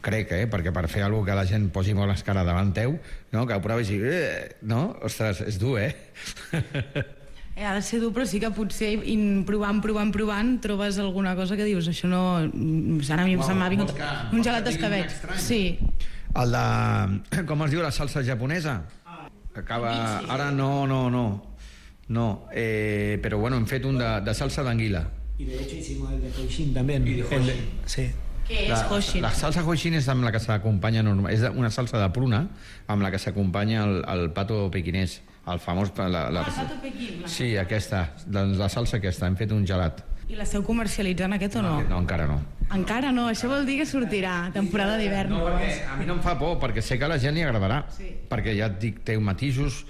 Crec, perquè per fer alguna que la gent posi molt l'escara davant teu, no? Que ho proves i no? Ostres, és dur, Ha de ser dur, però sí que potser provant, trobes alguna cosa que dius, això no... Ara a mi se m'ha vingut un gelat d'escabetx. Sí. El de... Com es diu, la salsa japonesa? Acaba... Ara no. Però bueno, hem fet un de salsa d'anguila. Y de hecho hicimos el de Hoishin también. Sí. Què és Hoishin? La salsa Hoishin és amb la que s'acompanya normal. És una salsa de pruna amb la que s'acompanya el pato pequinès, el famós... pato pequín. Sí, aquesta, la salsa aquesta. Hem fet un gelat. I l'esteu comercialitzant aquest o no? No, encara no. Encara no? Això vol dir que sortirà temporada d'hivern. No, perquè a mi no em fa por, perquè sé que a la gent li agradarà. Sí. Perquè ja et dic, té matisos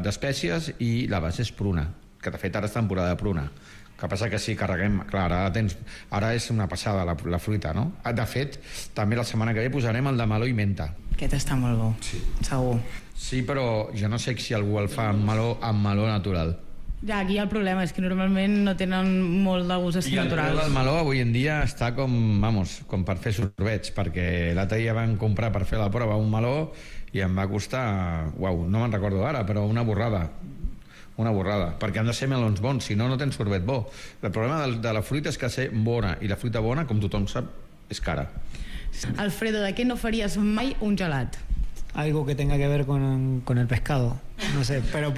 d'espècies i la base és pruna, que de fet ara és temporada de pruna. Que passa que sí, carreguem... Clar, ara és una passada la fruita, no? De fet, també la setmana que ve posarem el de meló i menta. Aquest està molt bo, sí. Segur. Sí, però jo no sé si algú el fa amb meló natural. Ja, aquí el problema és que normalment no tenen molt de gust I el preu naturals. del meló avui en dia està com per fer sorbets, perquè l'altre dia van comprar per fer la prova un meló i em va costar, no me'n recordo ara, però una borrada, perquè han de ser melons bons, si no, no tens sorbet bo. El problema de la fruita és que ha de ser bona, i la fruita bona, com tothom sap, és cara. Alfredo, ¿de qué no farías mai un gelat? Algo que tenga que ver con el pescado, no sé, pero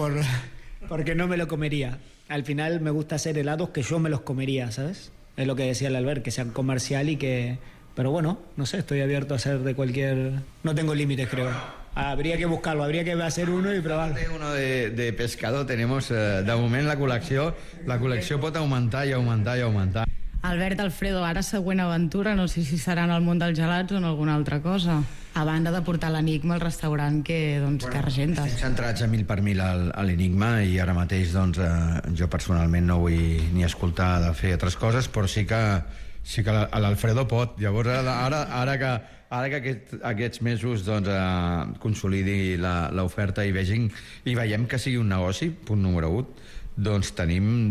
porque no me lo comería. Al final me gusta hacer helados que yo me los comería, ¿sabes? Es lo que decía el Albert, que sean comercial y que... Pero bueno, no sé, estoy abierto a hacer de cualquier... No tengo límites, creo. Habría que buscarlo, habría que hacer uno y probarlo. Uno de pescado tenemos, de moment la col·lecció pot augmentar i augmentar i augmentar. Albert, Alfredo, ara següent aventura, no sé si serà en el món dels gelats o en alguna altra cosa. A banda de portar l'Enigma al restaurant que regentes. Estem centrats a 1000 per 1000 a l'Enigma i ara mateix jo personalment no vull ni escoltar de fer altres coses, però sí que l'Alfredo pot. Llavors ara que aquests mesos consolidi l'oferta i veiem que sigui un negoci, punt número 1, doncs tenim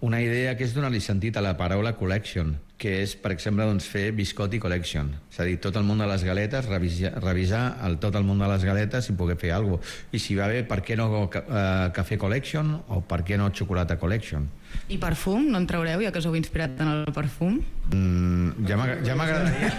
una idea que és donar-li sentit a la paraula collection, que és, per exemple, fer Biscotti Collection. És a dir, tot el món de les galetes, revisar tot el món de les galetes i poder fer alguna cosa. I si va bé, per què no Cafè Collection o per què no Xocolata Collection? I perfum? No en traureu, ja que us heu inspirat en el perfum? Ja m'agradaria.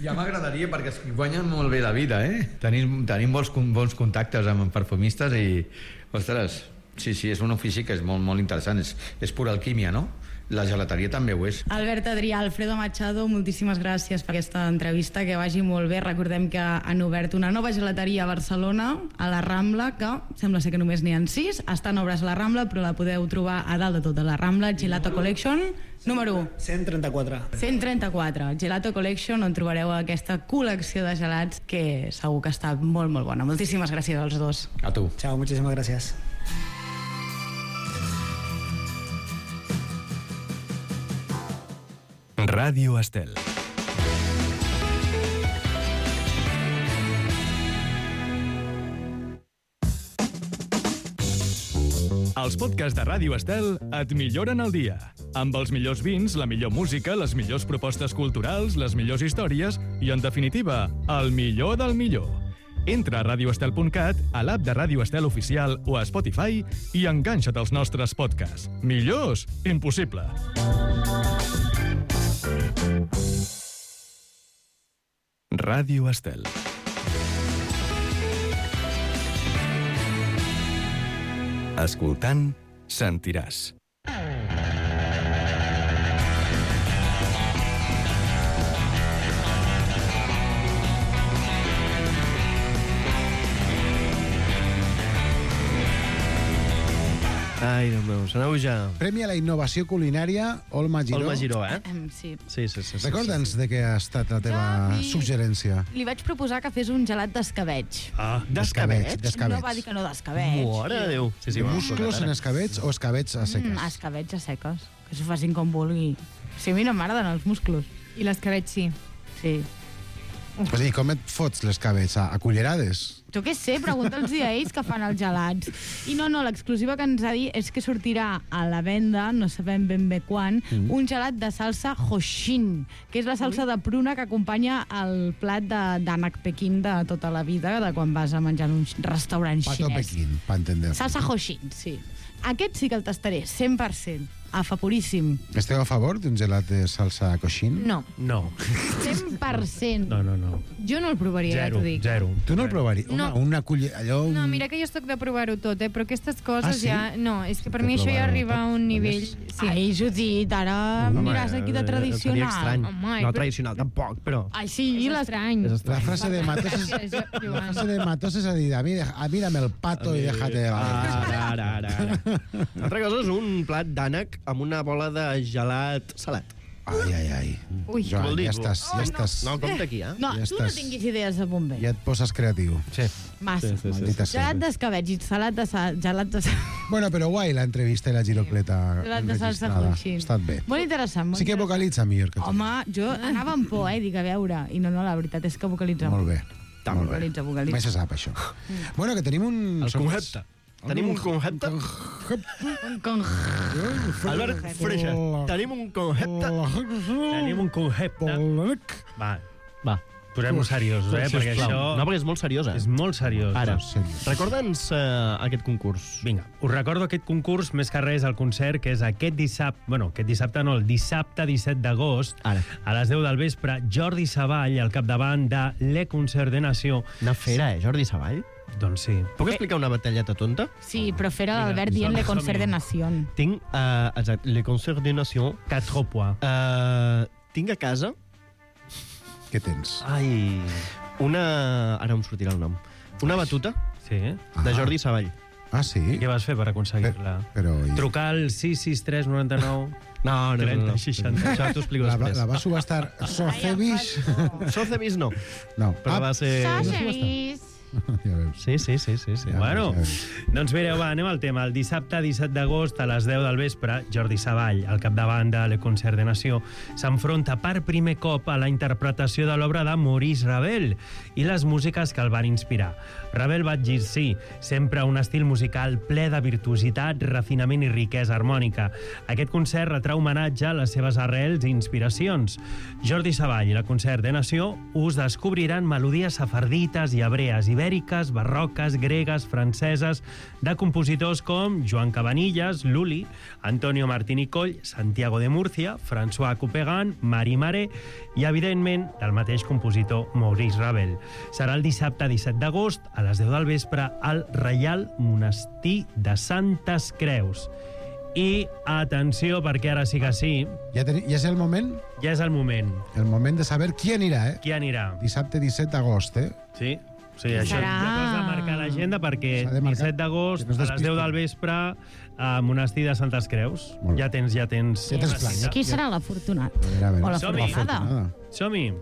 Ja m'agradaria, perquè es guanyen molt bé la vida, eh? Tenim bons contactes amb perfumistes i, ostres, sí, és un ofici que és molt, molt interessant. És pura alquímia, no? La gelateria també ho és. Albert Adrià, Alfredo Machado, moltíssimes gràcies per aquesta entrevista, que vagi molt bé. Recordem que han obert una nova gelateria a Barcelona, a la Rambla, que sembla ser que només n'hi ha 6, està en obres a la Rambla, però la podeu trobar a dalt de tot a la Rambla, Gelato Collection, número 1. 134. 134, Gelato Collection, on trobareu aquesta col·lecció de gelats que segur que està molt, molt bona. Moltíssimes gràcies als dos. A tu. Chao, muchísimas gracias. Ràdio Estel. Els podcasts de Ràdio Estel et milloren el dia. Amb els millors vins, la millor música, les millors propostes culturals, les millors històries i, en definitiva, el millor del millor. Entra a radioestel.cat, a l'app de Ràdio Estel Oficial o a Spotify i enganxa't als nostres podcasts. Millors? Impossible. Ràdio Estel. Escoltant, sentiràs. Ai, Déu meu, aneu ja. Premi a la innovació culinària, Olma Giró. Olma Giró, Sí. Sí. Recorda'ns de què ha estat la teva suggerència. Li vaig proposar que fes un gelat d'escabeig. D'escabeig. No va dir que no d'escabeig. Mare de Déu. Sí, musclos en escabeig o escabeig a seques? Escabeig a seques. Que s'ho facin com vulgui. Sí, a mi no m'agraden els musclos. I l'escabeig sí. Sí. I com et fots l'escabeig? A cullerades? Jo què sé, pregunta'ls a ells que fan els gelats. I no, l'exclusiva que ens ha dit és que sortirà a la venda, no sabem ben bé quan, un gelat de salsa Hoshin, que és la salsa de pruna que acompanya el plat d'ànec Pequín de tota la vida, de quan vas a menjar en un restaurant xinès. Pato Pequín, per entendre. Salsa Hoshin, sí. Aquest sí que el tastaré, 100%. Afaporíssim. Esteu a favor d'un gelat de salsa Hoshin? No. 100%. No. Jo no el provaria, ja t'ho dic. Zero. Tu no el provaries? No. Home, una cullera... Allò... No, mira que jo estic de provar-ho tot, però aquestes coses sí? ja... No, és que per mi això ja arriba a un nivell... Sí. Ai, Judit, ara miràs aquí de tradicional. Seria estrany. Home, No tradicional, tampoc, però... Ai, sí, és estrany. La frase de Matos és... La frase de Matos és a dir, mírame el pato i déjate de... Ara. L'altra cosa és un plat d'ànec amb una bola de gelat salat. Ai. Ui. Joan, ja estàs... No, compte aquí, No, tu no tinguis idees de bomber. Ja et poses creatiu. Sí. Massa. Maldita sea. Gelat d'escabeig i gelat de... Bueno, però guai l'entrevista i la girocleta Gelat de salsa enregistrada. Hoshin. Ha estat bé. Molt interessant. Sí que vocalitza millor que tu. Home, jo anava amb por, dic, a veure. I no, la veritat és que vocalitza Molt bé. Vocalitza. Mai se sap, això. Bueno, que tenim un... El correcte. Tenim un concepte... Albert Freixa, tenim un concepte... Tenim un concepte. Va. Posem-ho seriosos, perquè això... No, perquè és molt seriós, És molt seriós. Ara, recorda'ns aquest concurs. Vinga, us recordo aquest concurs, més que res, el concert, que és aquest dissabte... Bueno, aquest dissabte no, el dissabte 17 d'agost, a les 10 del vespre, Jordi Savall, al capdavant de Le Concert de Nació. Una fera, Jordi Savall? Doncs sí. Puc explicar una batalleta tonta? Sí, però fera d'Albert dient Le Concert de Nació. Tinc, exacte, Le Concert de Nació. 4 points. Tinc a casa... Què tens? Ai... Ara em sortirà el nom. Una batuta de Jordi Savall. Ah, sí? I què vas fer per aconseguir-la? Trucar al 663 99... No. 30 60. Això t'ho explico després. La va subestar Socevis? Socevis no. No. Però va ser... Socevis. Sí. Bueno, doncs mireu, va, anem al tema. El dissabte 17 d'agost a les 10 del vespre, Jordi Savall, al capdavant de Le Concert de Nació, s'enfronta per primer cop a la interpretació de l'obra de Maurice Ravel i les músiques que el van inspirar. Ravel va exercir sempre un estil musical ple de virtuositat, refinament i riquesa harmònica. Aquest concert retrà homenatge a les seves arrels i inspiracions. Jordi Savall i Le Concert de Nació us descobriran melodies sefardites i hebrees, ibèriques, barroques, gregues, franceses, de compositors com Joan Cabanillas, Lully, Antonio Martín i Coll, Santiago de Murcia, François Couperin, Marie Maré i, evidentment, del mateix compositor Maurice Ravel. Serà el dissabte 17 d'agost a les 10 del vespre al Reial Monestir de Santes Creus. I, atenció, perquè ara sí que sí... Ja és el moment? Ja és el moment. El moment de saber qui anirà, Qui anirà. Dissabte 17 d'agost, Sí. Sí, això ja has de marcar l'agenda perquè 17 d'agost a les 10 del vespre a Monestir de Santes Creus. Ja tens plan. Qui serà l'afortunat? O l'afortunada? Som-hi.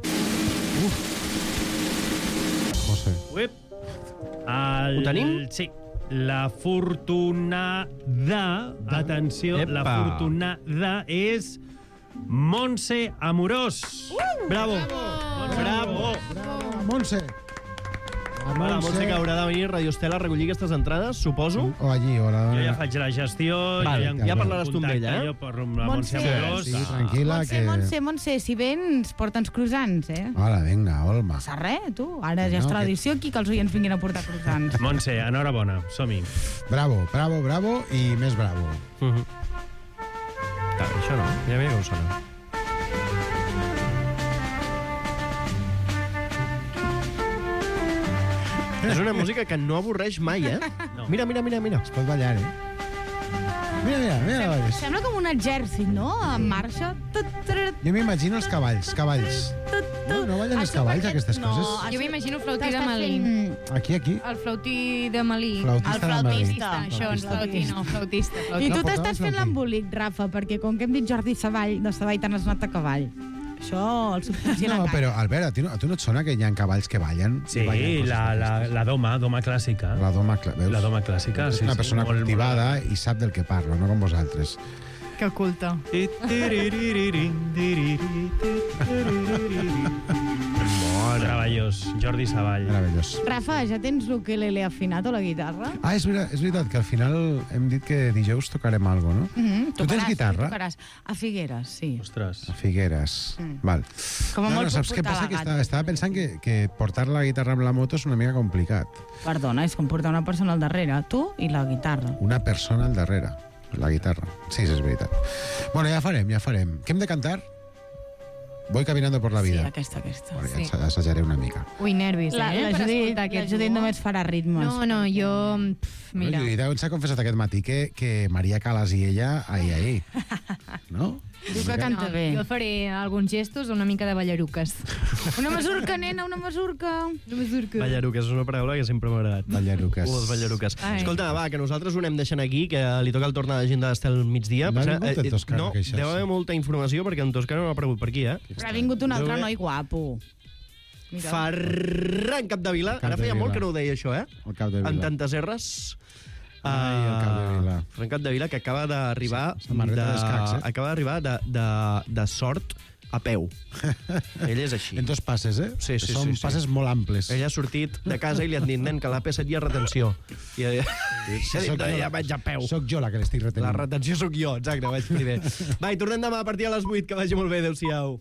José. Ho tenim? Sí. La fortunada, atenció, la fortunada és Montse Amorós. Bravo. Montse. La Montse que haurà de venir a Radio Estela a recollir aquestes entrades, suposo. O allí, o la... Jo ja faig la gestió. Ja parlaràs tu amb ella, Jo parlo amb la Montse Amorós. Sí, tranquil·la. Montse, si vens, porta'ns croissants, Hola, vinga, Olma. Passa res, tu. Ara ja és tradició aquí que els oients vinguin a portar croissants. Montse, enhorabona, som-hi. Bravo i més bravo. Això no, ja veia que ho sona. És una música que no avorreix mai, No. Mira. Es pot ballar, Mira. Sembla com un exèrcit, no? En marxa. Jo m'imagino els cavalls. No ballen els cavalls, aquestes coses? Jo m'imagino el flautí de Malí. Aquí. El flautí de Malí. Flautista. Això, el flautista. I tu t'estàs fent l'embolic, Rafa, perquè com que hem dit Jordi Savall, de Savall t'han anat a cavall. Això, el subconscient... No, però, Albert, a tu no et sona que hi ha cavalls que ballen? Sí, la doma clàssica. La doma clàssica, sí. És una persona cultivada i sap del que parlo, no com vosaltres. Que culta. Meravellós, Jordi Savall. Meravellós. Rafa, ja tens l'ukelele afinat o la guitarra? Ah, és veritat que al final hem dit que dijous tocarem alguna cosa, no? Tu tens guitarra? Tocaràs. A Figueres, sí. Ostres. A Figueres. Val. Com a molt saps què passa? Que estava pensant que portar la guitarra amb la moto és una mica complicat. Perdona, és com portar una persona al darrere, tu i la guitarra. Una persona al darrere, la guitarra. Sí, és veritat. Bueno, ja farem. Què hem de cantar? Voy caminando por la vida. Sí, aquesta. Bueno, ja assajaré una mica. Ui, nervis, La Judit només farà ritmes. No, jo... Mira. Judit s'ha confessat aquest matí que Maria Calas i ella, ahí. No? Diu que canta bé. Jo faré alguns gestos, una mica de ballaruques. Una masurca, nena, una masurca. Ballaruques és una paraula que sempre m'ha agradat. Ballaruques. Les ballaruques. Escolta, va, que nosaltres ho anem deixant aquí, que li toca el torn a l'agenda d'Estel migdia. No ha vingut en Toscana, no, deu haver molta informació, perquè en Toscana no ha aparegut per aquí, Però ha vingut un altre noi guapo. Ferran Capdevila. Ara feia molt que no ho deia, això, El Capdevila. En tantes R's. El Capdevila. Ferran Capdevila, que acaba d'arribar Samarreta d'escacs, acaba d'arribar de Sort, a peu. Ell és així. En dos passes, eh? Sí. Són passes molt amples. Ell ha sortit de casa i li han dit, nen, que a l'AP7 hi ha retenció. I ha dit, ja vaig a peu. Soc jo la que l'estic retenint. La retenció sóc jo, exacte, vaig primer. Va, i tornem demà a partir de les 8, que vagi molt bé, adéu-siau.